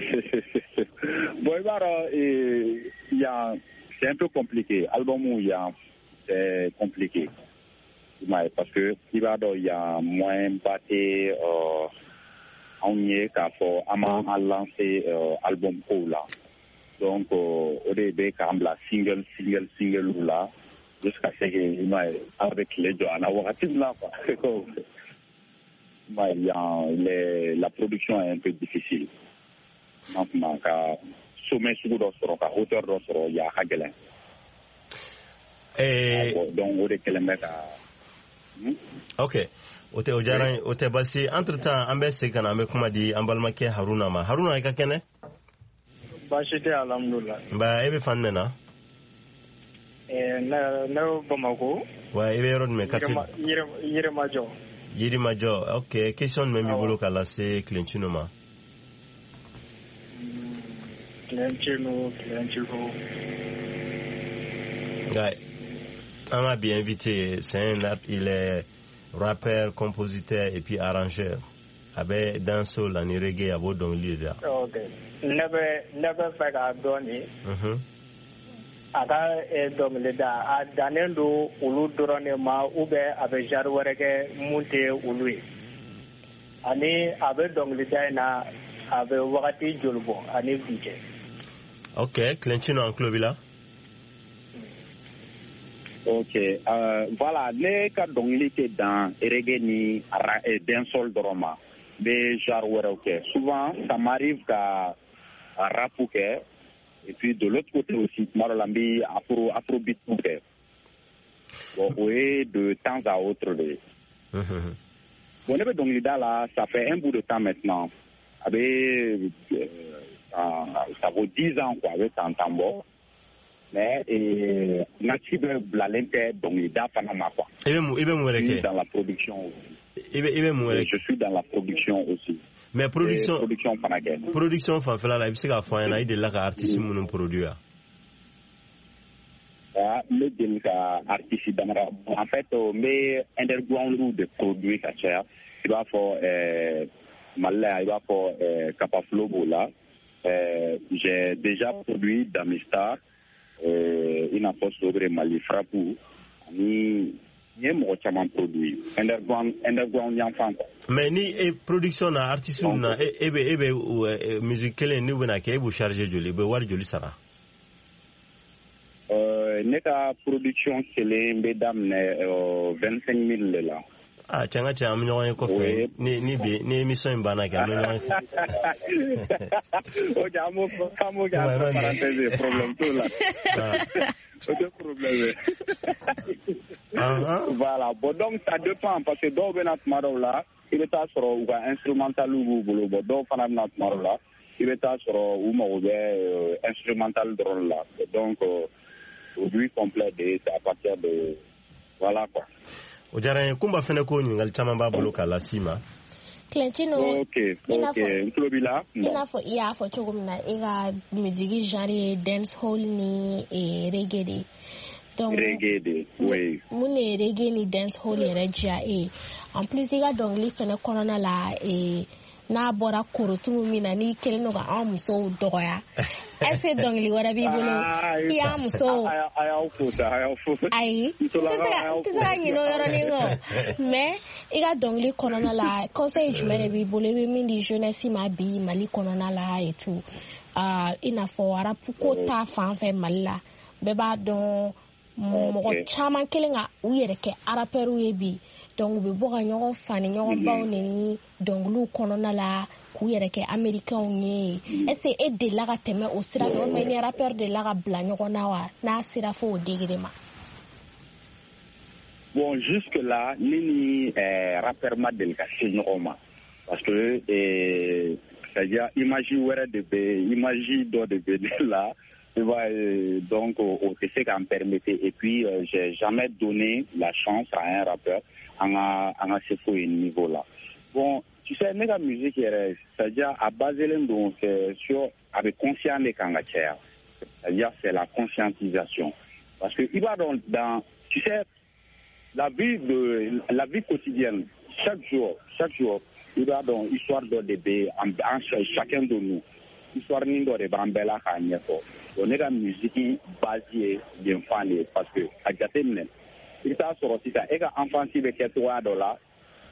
Bon, i b'a dɔn, yan c'est un peu compliqué. Album yan, c'est compliqué. I m'a ye, parce que i b'a dɔn, yan moyen ba tɛ anw ye k'a fɔ an b'an lancer album kow la. Donc o de bɛ k'an bila single, single, single la jusqu'à ce que, i m'a ye, ala bɛ tile jɔ an na wagati min na quoi. I m'a ye, yan la production est un peu difficile. N'a kuma ka sommet sugu dɔ sɔrɔ, ka hauteur dɔ sɔrɔ, yan a ka gɛlɛn. Bon, donc o de kɛlen bɛ ka Ok, o tɛ, o diyara n ye, o tɛ basi. Entre temps, an bɛ segin ka na, an bɛ kuma di an balimakɛ Haruna ma. Haruna, i ka kɛnɛ? Baasi tɛ, alhamdulilah. Nba, e bɛ fan jumɛn na? Ne bɛ Bamako. Wa i bɛ yɔrɔ jumɛn, quartier? Yirimajɔ. Yirimajɔ, ok. Question jumɛn b'i bolo ka lase Clentino ma? Clentino, Clentino. Nka an ka bi invité, il est rappeur, compositeur et puis arrangeur. A bɛ dancehall ani reggae, a b'o dɔnkili de da. Ok, ne bɛ fɛ k'a dɔn de, a ka dɔnkili da, a dannen don olu dɔrɔn de ma ou bien a bɛ genre wɛrɛ kɛ mun tɛ olu ye? Ani a bɛ dɔnkilida in na, a bɛ wagati joli bɔ ani bi cɛ? Ok, Clentino, an tulo b'i la. Ok, voilà, ne ka dɔnkili tɛ dan reggae ni dancehall dɔrɔn ma. N bɛ genre wɛrɛw kɛ. Souvent, ça m'arrive ka rap kɛ. Et puis de l'autre côté aussi, tuma dɔ la n bɛ afrobeat kɛ. Bon, o ye de temps à autre de ye. Bon, ne bɛ dɔnkilida la, ça fait un bout de temps maintenant. A bɛ ça vaut 10 ans quoi, a bɛ san 10 bɔ. Mais n ka ci bɛɛ bilalen tɛ dɔnkilida fana ma quoi. I bɛ mun wɛrɛ kɛ? Dans la production aussi. I bɛ mun wɛrɛ? Je suis dans la production aussi. Mais production production fana kɛ. Production fanfɛla la, i bɛ se k'a fɔ an ɲɛna i delila ka artiste minnu produire? Ah, n bɛ deli ka artiste damadɔ, en fait n bɛ underground de produire ka caya. I b'a fɔ Mali la yan, i b'a fɔ Kapaflo b'o la. J'ai déjà produit Damistar, i n'a fɔ Sobre Mali Frappe, ani n ye mɔgɔ caman produit underground yanfan quoi. Mais ni e production na artiste na, e bɛ musique kelen n'u bɛna kɛ, e b'u charger joli, i bɛ wari joli sara? Ne ka production kelen bɛ daminɛ 25 000 de la. Ah, cɛ, n ka cɛ, an bɛ ɲɔgɔn ye kɔfɛ. Ni bi ni émission in banna kɛ, an bɛ ɲɔgɔn ye. Ok, an b'o kɛ entre parenthèse ye, problème t'o la. O tɛ problème ye. Voilà, bon, donc ça dépend, parce que dɔw bɛ na tuma dɔw la, i bɛ taa sɔrɔ u ka instrumental b'u bolo. Bon, dɔw fana bɛ na tuma dɔw la, i bɛ taa sɔrɔ u mago bɛ instrumental dɔrɔn la. Donc produit complet de, c'est à partir de voilà quoi. O diyara n ye. Kunba fɛnɛ ko ɲininkali caman b'a bolo k'a las'i ma. Clentino. Ok, n tulo b'i la. I n'a fɔ i y'a fɔ cogo min na, e ka musique genre ye dance hall ni reggae de. Donc reggae de, oui. Mun de ye reggae ni dance hall yɛrɛ diya e ye? En plus, i ka dɔnkili fɛnɛ kɔnɔna la, n'a bɔra korotumu min na, n'i kɛlen don ka an musow dɔgɔya, est ce que dɔnkili wɛrɛ b'i bolo i y'a musow? A y'aw fo sa, a y'aw fo. Ayi, n tɛ se ka ɲinɛ o yɔrɔnin kɔ. Mais i ka dɔnkili kɔnɔna la, conseil jumɛn de b'i bolo, i bɛ min di jeunesse ma bi Mali kɔnɔna la et tout, i n'a fɔ rap ko ta fan fɛ Mali la? Bɛɛ b'a dɔn, mɔgɔ caman kelen ka u yɛrɛ kɛ rappeurs ye bi. Donc u bɛ bɔ ka ɲɔgɔn fa ni ɲɔgɔn baw neni dɔnkiliw kɔnɔna la, k'u yɛrɛ kɛ américains ye. Est ce que e delila ka tɛmɛ o sira fɛ, walima i ni rappeur delila ka bila ɲɔgɔn na wa, n'a sera fo o degré ma? Bon, jusque là, ne ni rappeur ma deli ka se ɲɔgɔn ma, parce que c'est à dire image wɛrɛ de bɛ, image dɔ de bɛ ne la, tu vois, donc o tɛ se k'an permettre. Et puis j'ai jamais donné la chance à un rappeur an ka se fo yen niveau la. Bon, tu sais, ne ka musique yɛrɛ, c'est à dire a baselen don, c'est sur, a bɛ conscient de kan ka caya, c'est à dire c'est la conscientisation, parce que i b'a dɔn, dans, tu sais, la vie quotidienne, chaque jour, i b'a dɔn, histoire dɔ de bɛ an chacun de nous, histoire nin dɔ de b'an bɛɛ la k'a ɲɛfɔ. Bon, ne ka musique base ye yen fan de ye, parce que a jateminɛ, i bɛ taa sɔrɔ sisan e ka enfance bɛ kɛ cogoya dɔ la,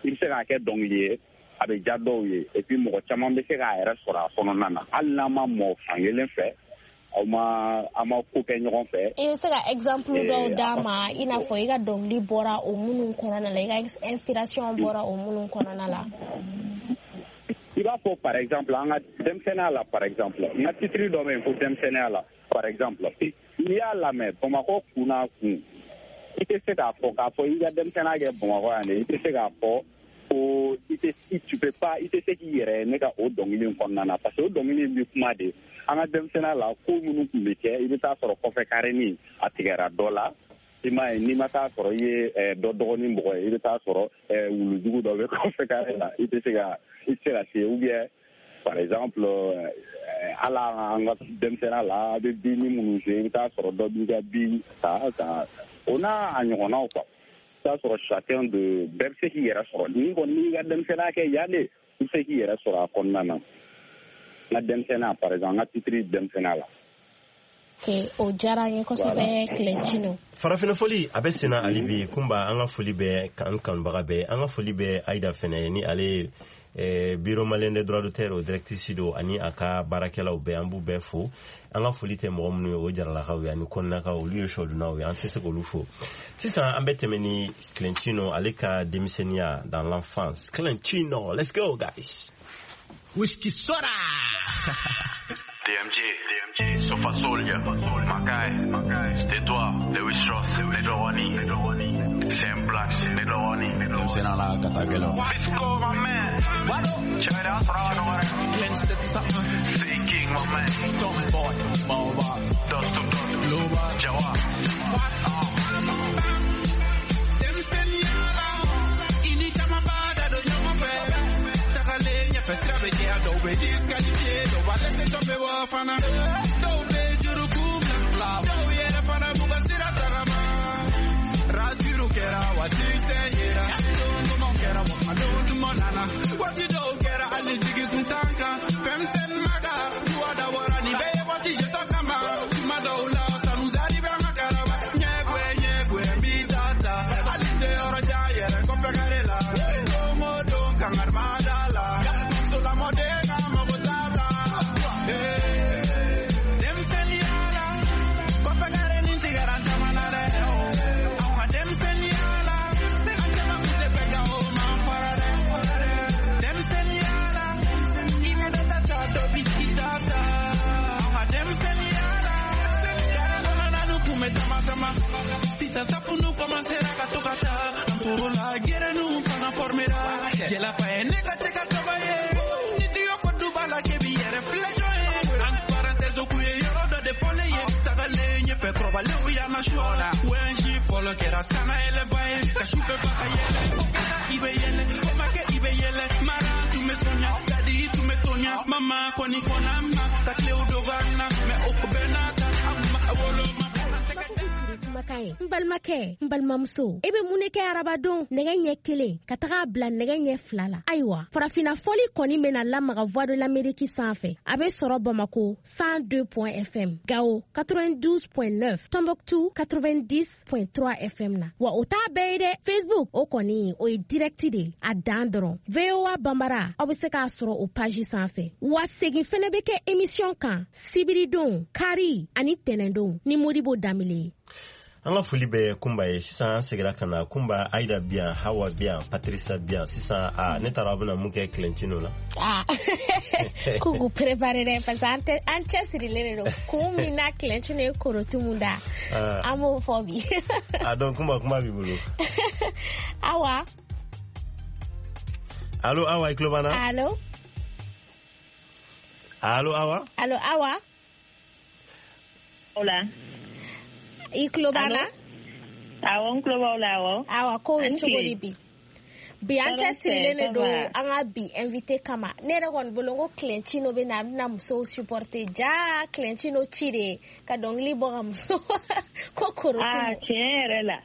i bɛ se k'a kɛ dɔnkili ye, a bɛ diya dɔw ye, et puis mɔgɔ caman bɛ se k'a yɛrɛ sɔrɔ a kɔnɔna na, hali n'an ma mɔ fan kelen fɛ, aw ma an ma ko kɛ ɲɔgɔn fɛ. I bɛ se ka exemple dɔw d'a ma, i n'a fɔ i ka dɔnkili bɔra o minnu kɔnɔna la, i ka inspiration bɔra o minnu kɔnɔna la? I b'a fɔ par exemple an ka denmisɛnninya la, par exemple n ka titre dɔ bɛ yen ko denmisɛnninya la, par exemple, n'i y'a lamɛn Bamakɔ kun n'a kun, i tɛ se k'a fɔ i ka denmisɛnninya kɛ Bamakɔ yan dɛ, i tɛ se k'a fɔ ko i tɛ, tu peux pas, i tɛ se k'i yɛrɛ ye ne ka o dɔnkili in kɔnɔna na, parce que o dɔnkili in bɛ kuma de an ka denmisɛnninya la, ko minnu tun bɛ kɛ. I bɛ taa sɔrɔ kɔfɛ karenin a tigɛra dɔ la, i m'a ye, n'i ma taa sɔrɔ i ye dɔ dɔgɔnin mɔgɔ ye, i bɛ taa sɔrɔ wulujugu dɔ bɛ kɔfɛ kare la, i tɛ se ka se, ou bien par exemple hali an ka denmisɛnninya la, a bɛ bin minnu se, i bɛ taa sɔrɔ dɔ b'i ka bin ta ka o n'a a ɲɔgɔnnaw quoi. I bɛ taa sɔrɔ chacun de bɛɛ bɛ se k'i yɛrɛ sɔrɔ n'i kɔni n'i ka denmisɛnninya kɛ yan de, i bɛ se k'i yɛrɛ sɔrɔ a kɔnɔna na. N ka denmisɛnninya, par exemple n ka titre denmisɛnninya la. Ok, o diyara an ye kosɛbɛ, Clentino. Farafinna foli a bɛ senna hali bi. Kunba, an ka foli bɛ an kanubaga bɛɛ, an ka foli bɛ Ayida fɛnɛ ni ale ye Bureau malien des droits d'auteur, o directrice don, ani a ka baarakɛlaw bɛɛ, an b'u bɛɛ fo. An ka foli tɛ mɔgɔ minnu ye, o Jaralakaw ye ani Kɔnɛnakaw, olu ye sɔdunnaw ye, an tɛ se k'olu fo sisan. An bɛ tɛmɛ ni Clentino ale ka denmisɛnninya, dans l'enfance. Clentino, let's go guys. Whisky soda. DMG, DMG, Sofa Soldier, Makai, c'était toi, Lewis Strauss, Little Honey, Sam Black, Little Honey, Denmisɛnninya la ka taa gɛlɛn. Fisco, my man, Chévere, Glenn 701. Say King, my man, Tom Boy, Baobab. Dust to Dust, Global. Jawa. Denmisɛnninya la, i ni caman b'a da don. Kɔfɛ sira bɛ jɛya, dɔw bɛ disqualifié, dɔw b'a laisser tomber wa fana. Dɔw bɛ juruku bila, dɔw yɛrɛ fana b'u ka sira tagama. Raturu kɛra wa succès yera, don duman kɛra wa don duman nana. Waati dɔw kɛra hali jigi tun t'an kan, fɛnmisɛnnin ma kan, duwa dabɔra nin bɛɛ ye waati jɔtɔ kama. Tuma dɔw la ça nous arrive an ka karaba, ɲɛgɛn ɲɛgɛn b'i ta ta, hali tɛ yɔrɔ jan yɛrɛ kɔfɛ kare la. Don o don kangari ma da la, musolamɔden ka mago t'a la. Denmisɛnninya la, kɔfɛ kare nin tigɛra an caman na dɛ. Anw ka denmisɛnninya la, an caman kun tɛ bɛn kan o man fara dɛ. Denmisɛnninya la, i bɛ dɔ ta ta dɔ bi i ta ta. Anw ka denmisɛnninya la, kare kɔnɔna nu kun bɛ tama tama. Sisan tafunu commencera ka to ka taa, an tor'o la gɛrɛninw fana formera. Jɛlafa ye ne ka cɛ ka tɔgɔ ye, ni tiyo fɔ duba la k'e b'i yɛrɛ filɛ jɔn ye. Entre parenthèses o kun ye yɔrɔ dɔ de fɔlen ye, tagalen ɲɛfɛ kɔrɔbalenw y'an na su la. ONG fɔlɔ kɛra sanna yɛlɛba ye, ka su bɛɛ fa ka yɛlɛ. O kɛra i bɛ yɛlɛ, o ma kɛ i bɛ yɛlɛ. Mara tun bɛ sonya, kadi tun bɛ tonya. Mama kɔni kɔnna n ma, ka tilew dɔgɔ an na, mais o bɛɛ n'a ta, an ma woloma. Kumakan ye n balimakɛ, n balimamuso, e bɛ mun de kɛ arabadon nɛgɛ ɲɛ 1 ka taga bila nɛgɛ ɲɛ 2 la? Ayiwa, farafinna fɔli kɔni bɛna lamaga Voix de l'Amérique sanfɛ. A bɛ sɔrɔ Bamako 102 FM, Gao 92.9, Tombouctou 90.3 FM na. Wa o t'a bɛɛ ye dɛ, Facebook o kɔni o ye direct de ye, a dan dɔrɔn. VOA Bambara, aw bɛ se k'a sɔrɔ o page sanfɛ. Wa segin fɛnɛ bɛ kɛ émission kan sibiridon, kari ani tɛnɛndon ni Modibo Danbele ye. An ka foli bɛ Kunba ye. Sisan an seginna ka na Kunba, Ayida bi yan, Hawa bi yan, Patricia bi yan. Sisan a ne taara aw bɛna mun kɛ Clentino la? K'u k'u préparer dɛ, parce que an cɛsirilen de don. Kun min na Clentino ye korotu mun da, an b'o fɔ bi. A donc Kunba, kuma b'i bolo. Awa. Allo Awa, i tulo b'an na? Allo. Allo Awa. Allo Awa. Hola. I tulo b'an na? Awɔ, n tulo b'aw la, awɔ. Awa, ko bɛ cogo di bi? Bi an cɛsirilen de don an ka bi invité kama. Ne yɛrɛ kɔni bolo n ko Clentino bɛ na, a bɛna musow supporter. Ja Clentino ci de ka dɔnkili bɔ ka muso ko korotu. Ah, tiɲɛ yɛrɛ la.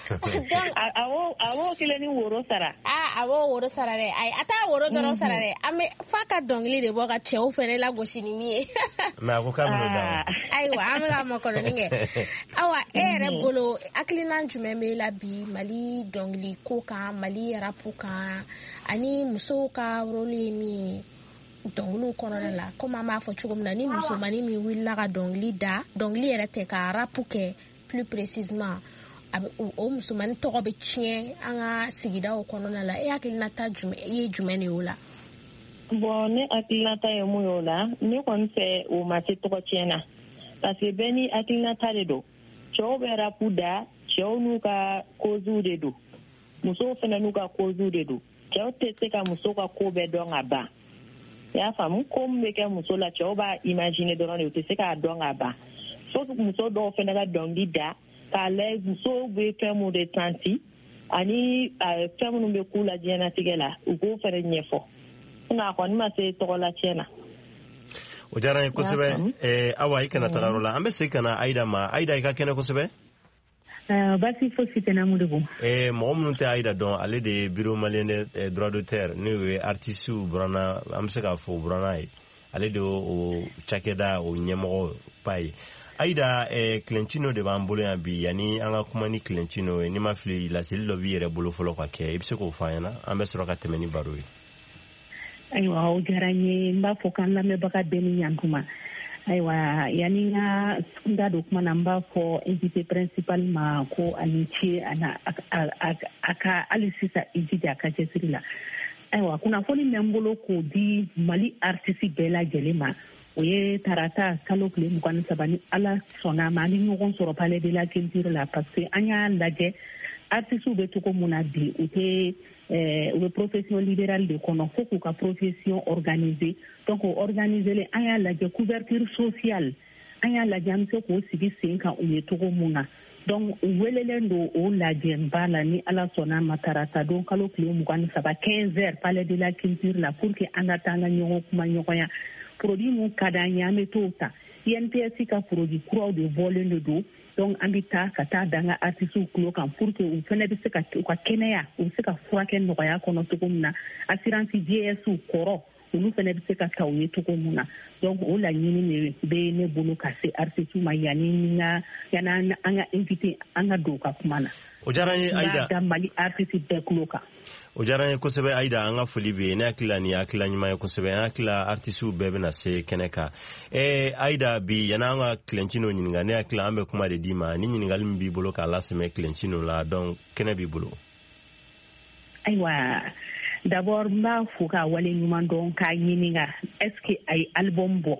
Donc a b'o kelen ni woro sara. Ah, a b'o woro sara dɛ. Ayi, a t'a woro dɔrɔn sara dɛ. An bɛ f'a ka dɔnkili de bɔ ka cɛw fɛnɛ lagosi ni min ye. Mais a ko k'a bɛn'o d'a ma. Ayiwa, an bɛ ka makɔnɔni kɛ. Awa, e yɛrɛ bolo hakilina jumɛn b'e la bi Mali dɔnkili ko kan, Mali rap kan, ani musow ka rôle ye min ye dɔnkiliw kɔnɔna la? Komi an b'a fɔ cogo min na, ni musomanin min wulila ka dɔnkili da, dɔnkili yɛrɛ tɛ ka rap kɛ plus précisément, o musomanin tɔgɔ bɛ tiɲɛ an ka sigidaw kɔnɔna la. E hakilinata ye jumɛn de ye o la? Bon, ne hakilinata ye mun ye o la, ne kɔni fɛ o ma se tɔgɔ tiɲɛ na, parce que bɛɛ ni hakilinata de don. Cɛw bɛ rap da, cɛw n'u ka causes de don, musow fana n'u ka causes de don. Cɛw tɛ se ka muso ka ko bɛɛ dɔn ka ban. I y'a faamu, ko min bɛ kɛ muso la, cɛw b'a imaginer dɔrɔn de, u tɛ se k'a dɔn ka ban. Fo muso dɔw fana ka dɔnkili da k'a lajɛ musow bɛ fɛn mun de santi ani fɛn minnu bɛ k'u la diɲɛlatigɛ la, u k'o fana ɲɛfɔ. Sinon a kɔni ma se tɔgɔla tiɲɛ na. O diyara n ye kosɛbɛ. Awa, i kana taga yɔrɔ la, an bɛ segin ka na Ayida ma. Ayida, i ka kɛnɛ kosɛbɛ. Basi fosi tɛ na, Modibo. Mɔgɔ minnu tɛ Ayida dɔn, ale de ye Bureau malien des droits d'auteur, n'o ye artistes buranna, an bɛ se k'a fɔ buranna ye. Ale de o cakɛda o ɲɛmɔgɔ ba ye. Ayida, Clentino de b'an bolo yan bi. Yanni an ka kuma ni Clentino ye, n'i ma fili, laseli dɔ b'i yɛrɛ bolo fɔlɔ ka kɛ, i bɛ se k'o fɔ an ɲɛna, an bɛ sɔrɔ ka tɛmɛ ni baro ye. Ayiwa, o diyara n ye. N b'a fɔ k'an lamɛnbaga bɛɛ ni ɲankuma. Ayiwa, yanni n ka n da don kuma na, n b'a fɔ invité principal ma ko a ni ce, a ka hali sisan i jija a ka cɛsiri la. Ayiwa, kunnafoni bɛ n bolo k'o di Mali artiste bɛɛ lajɛlen ma. O ye tarata kalo tile 23, ni Ala sɔnna a ma, an bɛ ɲɔgɔn sɔrɔ Palais de la Culture la, parce que an y'a lajɛ artistes bɛ cogo mun na bi, u tɛ u bɛ profession libérale de kɔnɔ, fo k'u ka profession organiser. Donc o organiser, an y'a lajɛ couverture sociale, an y'a lajɛ an bɛ se k'o sigi sen kan u ye cogo mun na. Donc u welelen don o lajɛba la ni Ala sɔnna ma tarata don kalo tile 23 15h palais de la culture la pour que an ka taa an ka ɲɔgɔn kuma ɲɔgɔnya. Produit mun ka d'an ye an bɛ t'o ta. INPS ka produit kuraw de bɔlen de don. Donc an bɛ taa ka taa da an ka artistes tulo kan pour que u fana bɛ se ka u ka kɛnɛya u bɛ se ka furakɛ nɔgɔya kɔnɔ cogo min na. Assurance GS kɔrɔ olu fana bɛ se ka ta u ye cogo min na. Donc o laɲini de bɛ ne bolo ka se artistes ma yanni an ka invité an ka don u ka kuma na. O diyara n ye Ayida. Da Mali artiste bɛɛ tulo kan. O diyara n ye kosɛbɛ Ayida, an ka foli bɛ yen. Ne hakili la nin ye hakilila ɲuman ye kosɛbɛ. An hakili la artistes bɛɛ bɛna se kɛnɛ kan. Ayida, bi yanni an ka Clentino ɲininka, ne hakili la an bɛ kuma de d'i ma. Ni ɲininkali min b'i bolo k'a lasɛmɛ Clentino la, donc kɛnɛ b'i bolo. Ayiwa, d'abord n b'a fo k'a wale ɲuman dɔn k'a ɲininka est-ce que a ye album bɔ?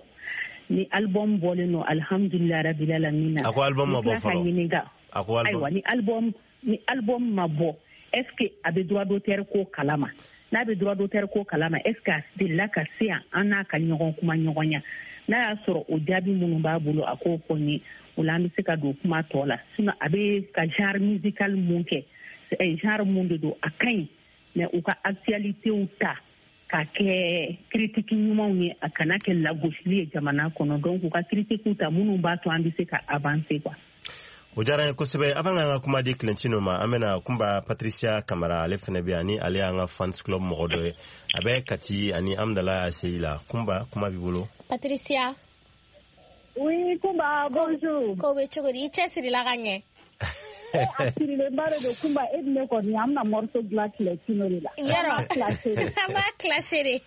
Ni album bɔlen don, alhamdulilayi rabil alamina. A ko album ma bɔ fɔlɔ. A ko album. Ayiwa, ni album ma bɔ, est-ce que a bɛ droit d'auteur ko kalama? N'a bɛ droit d'auteur ko kalama, est-ce que a delila ka se yan an n'a ka ɲɔgɔn kuma ɲɔgɔnya? N'a y'a sɔrɔ o jaabi minnu b'a bolo a k'o fɔ n ye, o la an bɛ se ka don kuma tɔ la. Sinon a bɛ ka genre musical mun kɛ, genre mun de don, a ka ɲi. Mais u ka actualitéw ta ka kɛ critique ɲumanw ye, a kana kɛ lagosili ye jamana kɔnɔ. Donc u ka critiquew ta minnu b'a to an bɛ se ka avancer quoi. O diyara n ye kosɛbɛ. Avant k'an ka kuma di Clentino ma, an bɛna Kunba Patricia Kamara, ale fana bɛ yan ni ale y'an ka fans club mɔgɔ dɔ ye. A bɛ Kati ani Amdala ACI la. Kunba, kuma b'i bolo. Patricia. Oui, Kunba, bonjour. Ko bɛ cogo di? I cɛsirila ka ɲɛ. A sirilenba de don Kunba, e ni ne kɔni an bɛna morceau dilan Clentino de la. Yɔrɔ an b'a clasher de.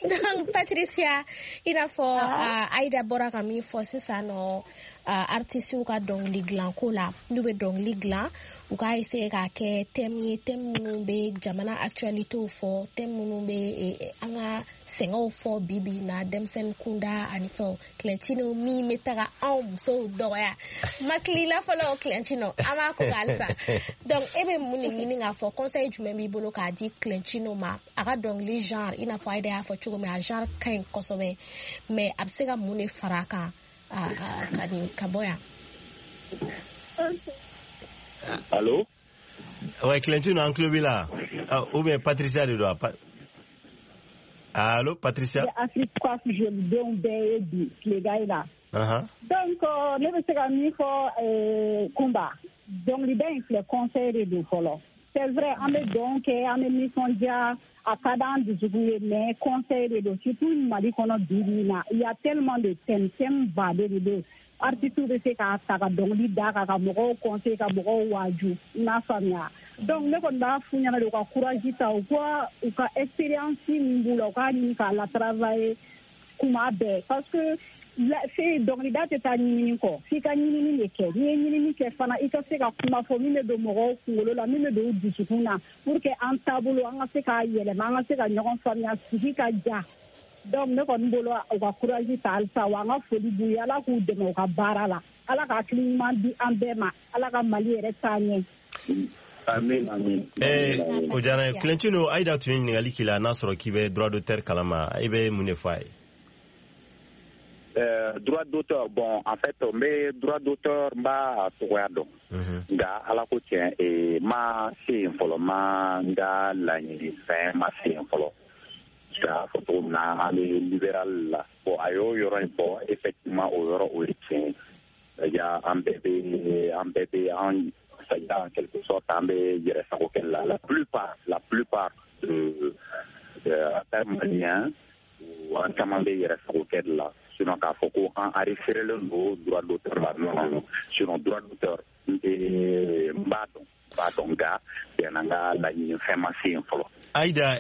Donc Patricia, i n'a fɔ Aïda bɔra ka min fɔ sisan nɔ, artistes ka dɔnkili dilanko la, n'u bɛ dɔnkili dilan u k'a essayer k'a kɛ thème ye, thème minnu bɛ jamana actualitéw fɔ, thème minnu bɛ an ka sɛgɛnw fɔ bi bi in na, denmisɛnnin kunda ani fɛnw. Clentino min bɛ taga anw musow dɔgɔya makilila fɔlɔ, Clentino an b'a ko halisa. Donc e bɛ mun de ɲini k'a fɔ, conseil jumɛn b'i bolo k'a di Clentino ma a ka dɔnkili genre, i n'a fɔ Aïda y'a fɔ cogo min, a genre ka ɲi kosɛbɛ, mais a bɛ se ka mun de fara a kan ka bɔ yan? Allo? Ouais, Clentino, an tulo b'i la. Ou bien Patricia de don. Allo, Patricia? Afrique Coiffe jolidenw bɛɛ ye bi tilegan in na. Donc ne bɛ se ka min fɔ Kunba, dɔnkilida in filɛ, conseil de don fɔlɔ. C'est vrai, an bɛ dɔn kɛ, an bɛ nisɔndiya, a ka d'an dusukun ye, mais conseil de don, surtout Mali kɔnɔ bi bi in na. Il y a tellement de thèmes, thèmes baden de don. Artistes bɛ se k'a ta ka dɔnkili da kan ka mɔgɔw conseil, ka mɔgɔw waaju, i m'a faamuya. Donc ne kɔni b'a f'u ɲɛna de u ka courage ta, u ka expérience min b'u la, u k'a ɲini k'a la travailler kuma bɛɛ, parce que dɔnkilida tɛ taa ɲinini kɔ, f'i ka ɲinini de kɛ. N'i ye ɲinini kɛ fana, i ka se ka kuma fɔ min bɛ don mɔgɔw kunkolo la, min bɛ don u dusukun na, pour que an taabolo an ka se k'a yɛlɛma, an ka se ka ɲɔgɔn faamuya, sigi ka ja. Donc ne kɔni bolo u ka courage ta halisa, wa an ka foli b'u ye, Ala k'u dɛmɛ u ka baara la, Ala ka hakili ɲuman di an bɛɛ ma, Ala ka Mali yɛrɛ taa ɲɛ. Amin, amin. O diyara n ye. Clentino, Aïda tun ye ɲininkali k'i la n'a sɔrɔ k'i bɛ droit d'auteur kalama, i bɛ mun de fɔ a ye? Droit d'auteur, bon, en fait, mais droit d'auteur b'a togoya dɔn. Nka Ala ko tiɲɛ, ma se yen fɔlɔ, ma n ka laɲini fɛn ma se yen fɔlɔ. K'a fɔ cogo min na, an bɛ libéral la. Bon, a y'o yɔrɔ in fɔ, effectivement, o yɔrɔ o ye tiɲɛ ye. C'est-à-dire, an bɛɛ bɛ an, c'est-à-dire, en quelque sorte, an bɛ yɛrɛ sago kɛ la. La plupart de maliens, an caman bɛ yɛrɛ sago kɛ de la. Sinon k'a fɔ ko an enregistrelen don droit d'auteur la, non, non, non. Sinon droit d'auteur, n b'a dɔn, nka yan'an ka laɲini fɛn ma se yen fɔlɔ. Aïda,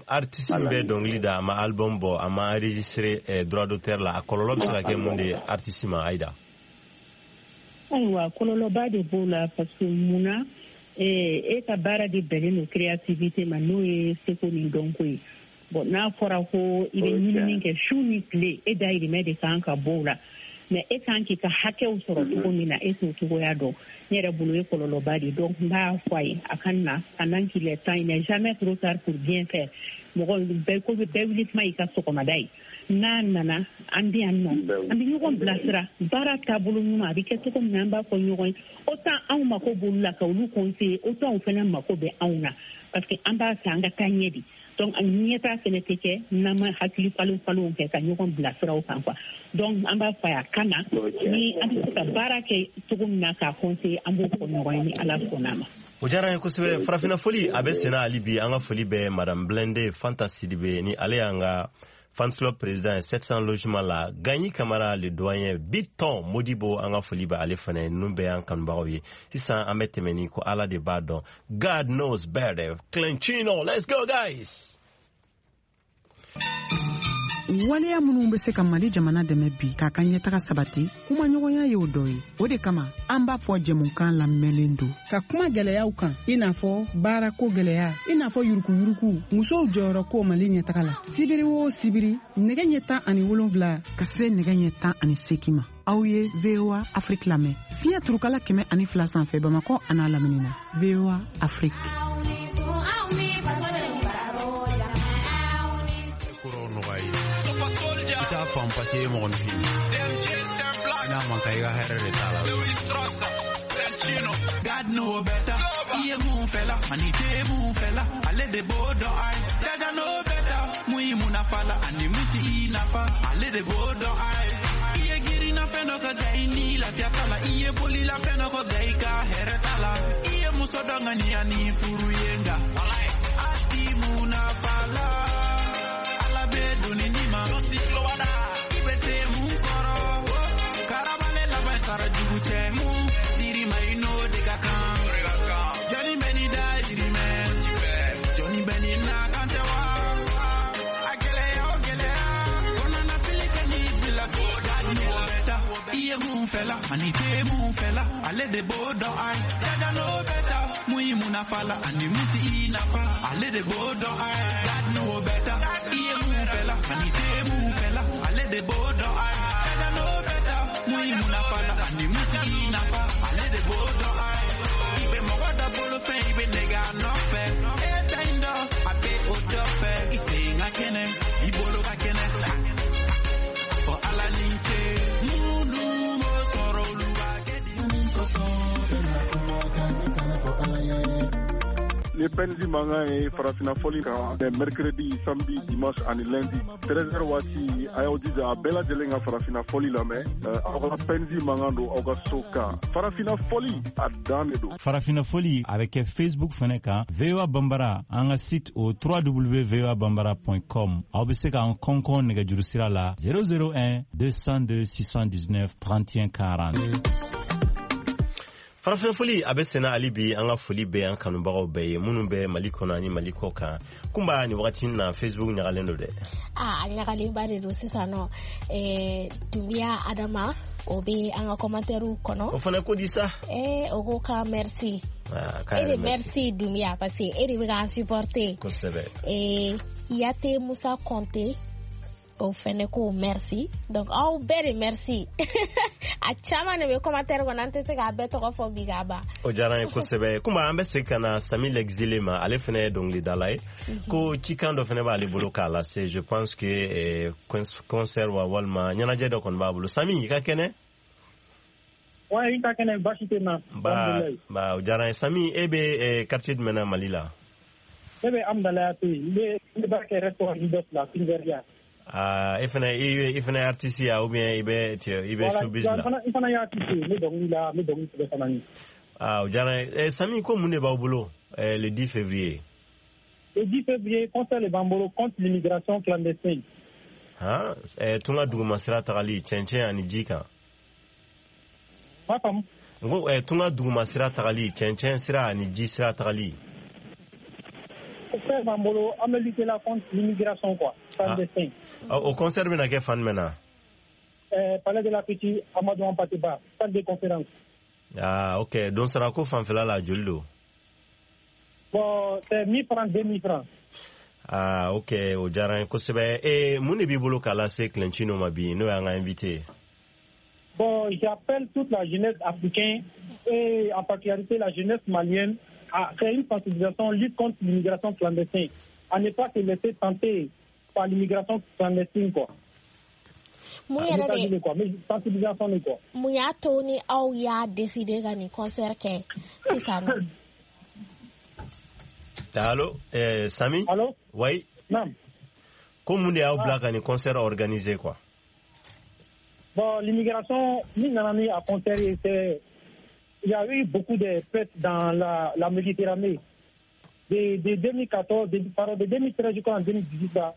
artiste min bɛ dɔnkili da, a ma album bɔ, a ma enregistré droit d'auteur la, a kɔlɔlɔ bɛ se ka kɛ mun de ye artiste ma, Aïda? Ayiwa, kɔlɔlɔba de b'o la, parce que munna e ka baara de bɛnnen don créativité ma, n'o ye seko ni dɔnko ye. Bon, n'a fɔra ko i bɛ ɲinini kɛ su ni tile, e dayirimɛ de kan ka bɔ o la, mais e kan k'i ka hakɛw sɔrɔ cogo min na, e t'o cogoya dɔn. Ne yɛrɛ bolo ye kɔlɔlɔba de. Donc n b'a fɔ a ye, a ka na pendant qu'il est temps, il n'est jamais trop tard pour bien faire. Mɔgɔ bɛɛ ko bɛɛ wuli kuma y'i ka sɔgɔmada ye. N'a nana an bɛ yan nɔ, an bɛ ɲɔgɔn bilasira baara taabolo ɲuman a bɛ kɛ cogo min na, an b'a fɔ ɲɔgɔn ye. Autant anw mako b'olu la ka olu conseiller, autant u fana mako bɛ anw na, parce que an b'a fɛ an ka taa ɲɛ de. Donc ɲɛtaa fana tɛ kɛ n'an ma hakili falen falenw kɛ ka ɲɔgɔn bilasira o kan quoi. Donc an b'a fɔ a ka na ni an bɛ se ka baara kɛ cogo min na k'a conseiller, an b'o fɔ ɲɔgɔn ye ni Ala sɔnna a ma. O diyara n ye kosɛbɛ. Farafinna foli a bɛ senna hali bi. An ka foli bɛ Madame Blende Fanta Sidibe ni ale y'an ka fans club président 700 logement la, Gagny Kamara le doyen, Biton Modibo, an ka foli bɛ ale fana. Ninnu bɛɛ y'an kanubagaw ye. Sisan an bɛ tɛmɛ ni ko Ala de b'a dɔn, God knows better, Clenchino. Let's go guys. Waleya minnu bɛ se ka Mali jamana dɛmɛ bi k'a ka ɲɛtaga sabati, kumaɲɔgɔnya y'o dɔ ye. O de kama an b'a fɔ jɛmukan lamɛnlen don ka kuma gɛlɛyaw kan, i n'a fɔ baarako gɛlɛya, i n'a fɔ yurukuyuruku, musow jɔyɔrɔ ko Mali ɲɛtaga la. Sibiri o sibiri, nɛgɛ ɲɛ 17 ka se nɛgɛ ɲɛ 18 ma, aw ye VOA Afrique lamɛn fiɲɛ turukala 102 sanfɛ, Bamakɔ an'a lamini na. VOA Afrique. T'a faamu parce que e ye mɔgɔninfin ye. N'a man kan, i ka hɛrɛ de t'a la. God know better. I ye mun fɛla ani tɛ mun fɛla, ale de b'o dɔn. Ai Jaja know better. Mun ye mun nafa la ani mun tɛ i nafa, ale de b'o dɔn. Ai i ye girinna fɛn dɔ ka ga i ni lafiya t'a la, i ye bolila fɛn dɔ ka ga i ka hɛrɛ t'a la, i ye muso dɔ ŋaniya ni furu ye, nka a ti mun nafa la. Ala bɛ doni ni ma i bɛ se mun kɔrɔ, karabale laban sara jugu cɛ, mun dir'i ma i n'o de ka kan. Jɔnni bɛ ni da yirimɛ, jɔnni bɛ ni na kan tɛ wa, a gɛlɛya o gɛlɛya kɔnɔna fili ka n'i bila ko da. I ye mun fɛla ani tɛ mun fɛla, ale de b'o dɔn. Ai Jaja n'o bɛ ta, mun ye mun nafa la ani mun tɛ i nafa, ale de b'o dɔn. Ai God know better. I ye mun fɛla ani tɛ mun fɛla, ale de b'o dɔn. Ai Jaja n'o bɛ ta, mun ye mun nafa la ani mun tɛ i nafa, ale de b'o dɔn. Ai i bɛ mɔgɔ dɔ bolo fɛn, i bɛ nɛgɛ a nɔfɛ, e ta in dɔn a bɛ o dɔ fɛ, i sen ka kɛnɛ, i bolo ka kɛnɛ, fɔ Ala ni ce minnu m'o sɔrɔ, olu b'a kɛ di. Ni Penzi mankan ye farafinna fɔli kan, mercredi, samedi, dimanche ani lundi 13h waati, a y'aw jija a bɛɛ lajɛlen ka farafinna fɔli lamɛn. Aw ka Penzi mankan don aw ka so kan. Farafinna fɔli a dan de don. Farafinna fɔli a bɛ kɛ Facebook fɛnɛ kan, VOA Bambara, an ka site o www.voabambara.com. Aw bɛ se k'an kɔnkɔn nɛgɛjuru sira la 001 202 619 31 40. Farafin foli a bɛ senna hali bi. An ka foli bɛ an kanubagaw bɛɛ ye minnu bɛ Mali kɔnɔ ani Mali kɔ kan. Kunba, nin wagati na Facebook ɲagalen don dɛ. A ɲagalenba de don sisan nɔ. Dunbiya Adama, o bɛ an ka commentaire kɔnɔ. O fana ko di sa? O ko ka merci. E de merci Dunbiya, parce que e de bɛ k'an supporter. Kosɛbɛ. Yate Musa Konte, o fɛnɛ ko merci. Donc aw bɛɛ de merci. A caman de bɛ commentaire kɔnɔ, an tɛ se k'a bɛɛ tɔgɔ fɔ bi k'a ban. O diyara n ye kosɛbɛ. Komi an bɛ segin ka na Sami l'exilé ma, ale fɛnɛ ye dɔnkilidala ye, ko cikan dɔ fɛnɛ b'ale bolo k'a lase. Je pense que concert wa walima ɲɛnajɛ dɔ kɔni b'a bolo. Sami, i ka kɛnɛ? Wa, i ka kɛnɛ, baasi tɛ n na. Ba, o diyara n ye. Sami, e bɛ quartier jumɛn na Mali la? Ne bɛ Amdalaya to yen, n bɛ baara kɛ restaurant Leaders la, Fingeria. Ah, e fɛnɛ i fɛnɛ artiste ya ou bien i bɛ showbiz la? I fana ye artiste ye, n bɛ dɔnkili la, n bɛ dɔnkili sɛbɛn fana ye. Ah, o diyara n ye. Sami, ko mun de b'aw bolo le 10 février? Le 10 février, concert de b'an bolo contre l'immigration clandestine. Han, tunga duguma sira tagali cɛncɛn ani ji kan. M'a faamu. N ko tunga duguma sira tagali, cɛncɛn sira ani ji sira tagali. Concert b'an bolo, an bɛ lutter la contre l'immigration quoi, clandestine. Ah, o concert bɛna kɛ fan jumɛn na? Palais de la Culture, Amadou Hampâté Bâ, salle de conférence. Ah, ok. Don sarako fanfɛla la, joli don? Bon, c'est 1000 francs, 2000 francs. Ah, ok, o diyara n ye kosɛbɛ. Mun de b'i bolo k'a lase Clenchino ma bi, n'o y'an ka invité ye? Bon, j'appelle toute la jeunesse africaine et en particularité la jeunesse malienne à faire une sensibilisation, lutte contre l'immigration clandestine. à ne pas se laisser tenter par l'immigration clandestine, quoi. Mun yɛrɛ de quoi, mais sensibilisation de quoi. Mun y'a to ni aw y'a décider ka nin concert kɛ sisan nɔ? Allo, Sami? Allo? Oui. Non. Ko mun de y'aw bila ka nin concert organiser, quoi? Bon, l'immigration, min nana ni a concert, c'est il y a eu beaucoup de fêtes dans la Méditerranée. De 2014, de 2013 jusqu'en 2018, là,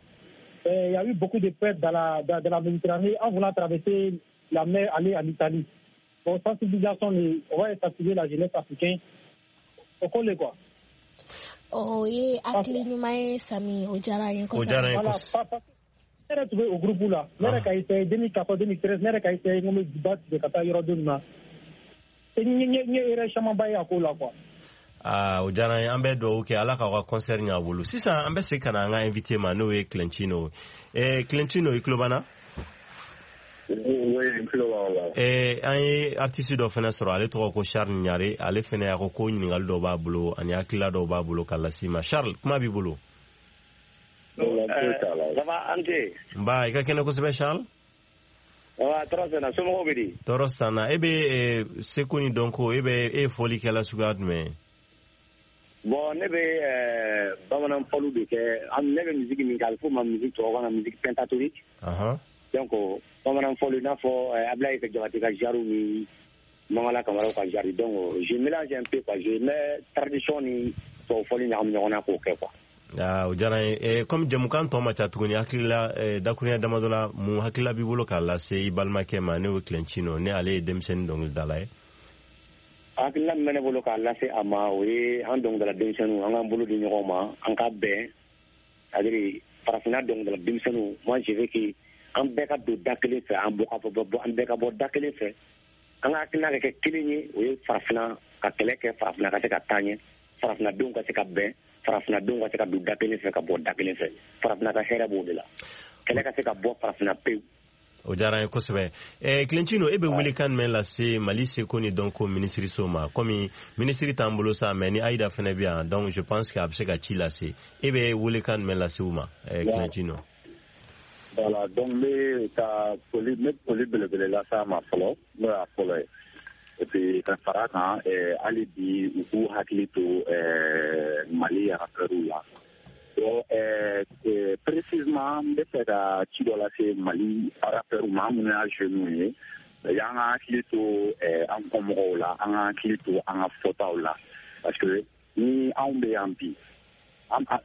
il y a eu beaucoup de pertes dans la Méditerranée en voulant traverser la mer, aller en Italie. Bon, sensibilisation, on va sensibiliser la jeunesse africaine. Au collège, quoi. Oh, oui, hakili ɲuman ye Sami, o diyara n ye kosɛbɛ. Voilà, ne yɛrɛ tun bɛ o groupe la. Ne yɛrɛ ka essayé 2014, 2013, ne yɛrɛ ka essayé n ko n bɛ ba tigɛ ka taa yɔrɔ dɔ nin na. N ye erreur camanba ye a ko la, quoi. Ah, o diyara n ye, an bɛ dugawu kɛ Ala k'aw ka concert ɲɛ a bolo. Sisan an bɛ segin ka na an ka invité ma, n'o ye Clentino. Clentino, i tulo b'an na? Oui, n tulo b'aw la. An ye artiste dɔ fana sɔrɔ, ale tɔgɔ ko Charles Ɲare. Ale fana a ko ko ɲininkali dɔ b'a bolo ani hakilila dɔw b'a bolo ka lase i ma. Charles, kuma b'i bolo. Ça va, Ante? Nba, i ka kɛnɛ kosɛbɛ, Charles. Wa tɔɔrɔ sanna, somɔgɔw bɛ di? Tɔɔrɔ sanna. E bɛ seko ni dɔnko, e ye fɔlikɛla suguya jumɛn ye? Bon, ne bɛ bamanan fɔliw de kɛ. Ne bɛ musique min kɛ, a bɛ f'o ma musique tubabukan na musique pentatonique. Donc bamanan fɔli, i n'a fɔ Ablaye Jabate ka genre ni Mangala Kamaraw ka genre. Donc je mélange un peu, quoi. Je mets tradition ni tubabu fɔli ɲagami ɲɔgɔn na k'o kɛ, quoi. Ah, o diyara n ye. Comme jɛmukan tɔ ma ca tuguni, hakilila dakurunya damadɔ la, mun hakilila b'i bolo k'a lase i balimakɛ ma, n'o ye Clentino, ni ale ye denmisɛnnin dɔnkilidala ye? Hakilila min bɛ ne bolo k'a lase a ma, o ye an dɔnkilidala denmisɛnninw, an k'an bolo di ɲɔgɔn ma, an ka bɛn. C'est-à-dire farafinna dɔnkilidala denmisɛnninw, moi je veux que an bɛɛ ka don da kelen fɛ, an bɛɛ ka bɔ da kelen fɛ, an ka hakilina ka kɛ kelen ye. O ye farafinna ka kɛlɛ kɛ, farafinna ka se ka taa ɲɛ, farafinnadenw ka se ka bɛn, farafinnadenw ka se ka don da kelen fɛ, ka bɔ da kelen fɛ. Farafinna ka hɛrɛ b'o de la, kɛlɛ ka se ka bɔ farafinna pewu. O diyara n ye kosɛbɛ. Clentino, e bɛ welekan jumɛn lase Mali seko ni dɔnko minisiriso ma? Komi minisiri t'an bolo sa, mais ni Ayida fana bɛ yan, donc je pense que a bɛ se ka ci lase. E bɛ welekan jumɛn lase u ma, Clentino? Voilà, donc n bɛ ka foli, n bɛ foli belebele lase a ma fɔlɔ, n'o y'a fɔlɔ ye. Et puis ka fara kan, hali bi u k'u hakili to Mali rappeurs la. Bon, précisément, n bɛ fɛ ka ci dɔ lase Mali rappeurs ma, an minnu y'a jeunes ye, an ka hakili to an kɔmɔgɔw la, an ka hakili to an ka fɔtaw la, parce que ni anw bɛ yan bi,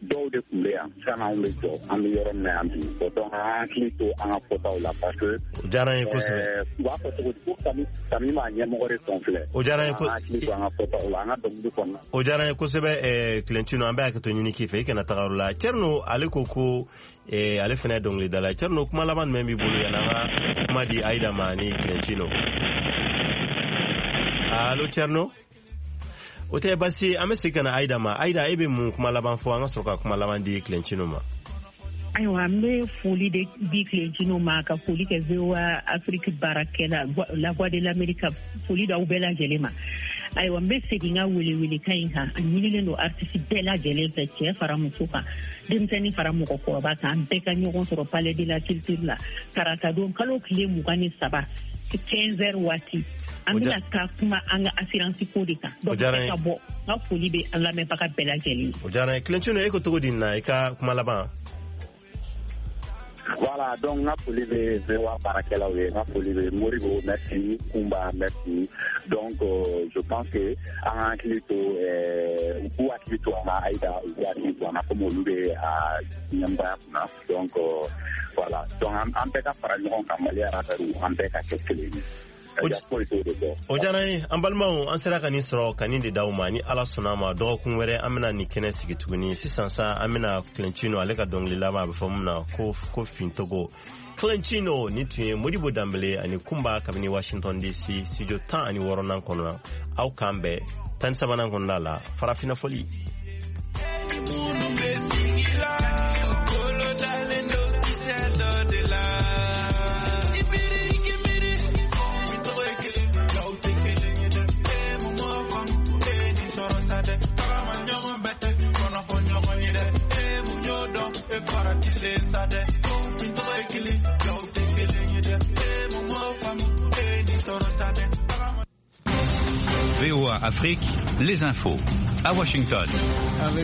dɔw de tun bɛ yan sanni anw bɛ jɔ, an bɛ yɔrɔ min na yan bi. Bon, donc an ka hakili to an ka fɔtaw la, parce que o diyara n ye kosɛbɛ. U b'a fɔ cogo di ko kami m'a ɲɛmɔgɔ de tɔn filɛ. O diyara n ye. An ka hakili to an ka fɔtaw la, an ka dɔnkili kɔnɔna. O diyara n ye kosɛbɛ, Clentino, an bɛ hakɛto ɲini k'i fɛ, i kana taga yɔrɔ la. Cɛrino, ale ko ko ale fana ye dɔnkilidala ye. Cɛrino, kuma laban jumɛn b'i bolo yanni an ka kuma di Ayida ma ani Clentino? Allo, Cɛrino? O tɛ basi, an bɛ segin ka na Ayida ma. Ayida, e bɛ mun kuma laban fɔ an ka sɔrɔ ka kuma laban di Clentino ma? Ayiwa, n bɛ foli de di Clentino ma, ka foli kɛ VOA Afrique baarakɛla, La Voix de l'Amérique, ka foli d'aw bɛɛ lajɛlen ma. Ayiwa, n bɛ segin n ka welewelekan in kan. A ɲinilen don artiste bɛɛ lajɛlen fɛ, cɛ fara muso kan, denmisɛnnin fara mɔgɔkɔrɔba kan, an bɛɛ ka ɲɔgɔn sɔrɔ Palais de la Culture la tarata don kalo tile 23 15h waati. An bɛna taa kuma an ka assurance ko de kan. Donc ka bɔ, n ka foli bɛ an lamɛnbaga bɛɛ lajɛlen ye. O diyara n ye. Clentino, e ko cogo di nin na, i ka kuma laban? Voilà, donc n ka foli bɛ VOA baarakɛlaw ye, n ka foli bɛ Moribo, merci, Kunba, merci. Donc je pense que an ka hakili to, u k'u hakili to an na, Ayida, u k'u hakili to an na, komi olu bɛ a ɲɛmɔgɔya kunna. Donc voilà, donc an bɛɛ ka fara ɲɔgɔn kan, Mali rappeurs, an bɛɛ ka kɛ kelen ye. O diyara n ye. An balimaw, an sera ka nin sɔrɔ ka nin de d'aw ma. Ni Ala sɔnna a ma, dɔgɔkun wɛrɛ an bɛna nin kɛnɛ sigi tuguni. Sisan sa, an bɛna Clentino, ale ka dɔnkili laban, a bɛ fɔ mun na ko Fintogo. Clentino, nin tun ye Modibo Danbele ani Kunba kabini Washington DC studio 16nan kɔnɔ. Aw k'an bɛn 13nan kɔnɔna la, farafinna fɔli. VOA Afrique, les infos. À Washington.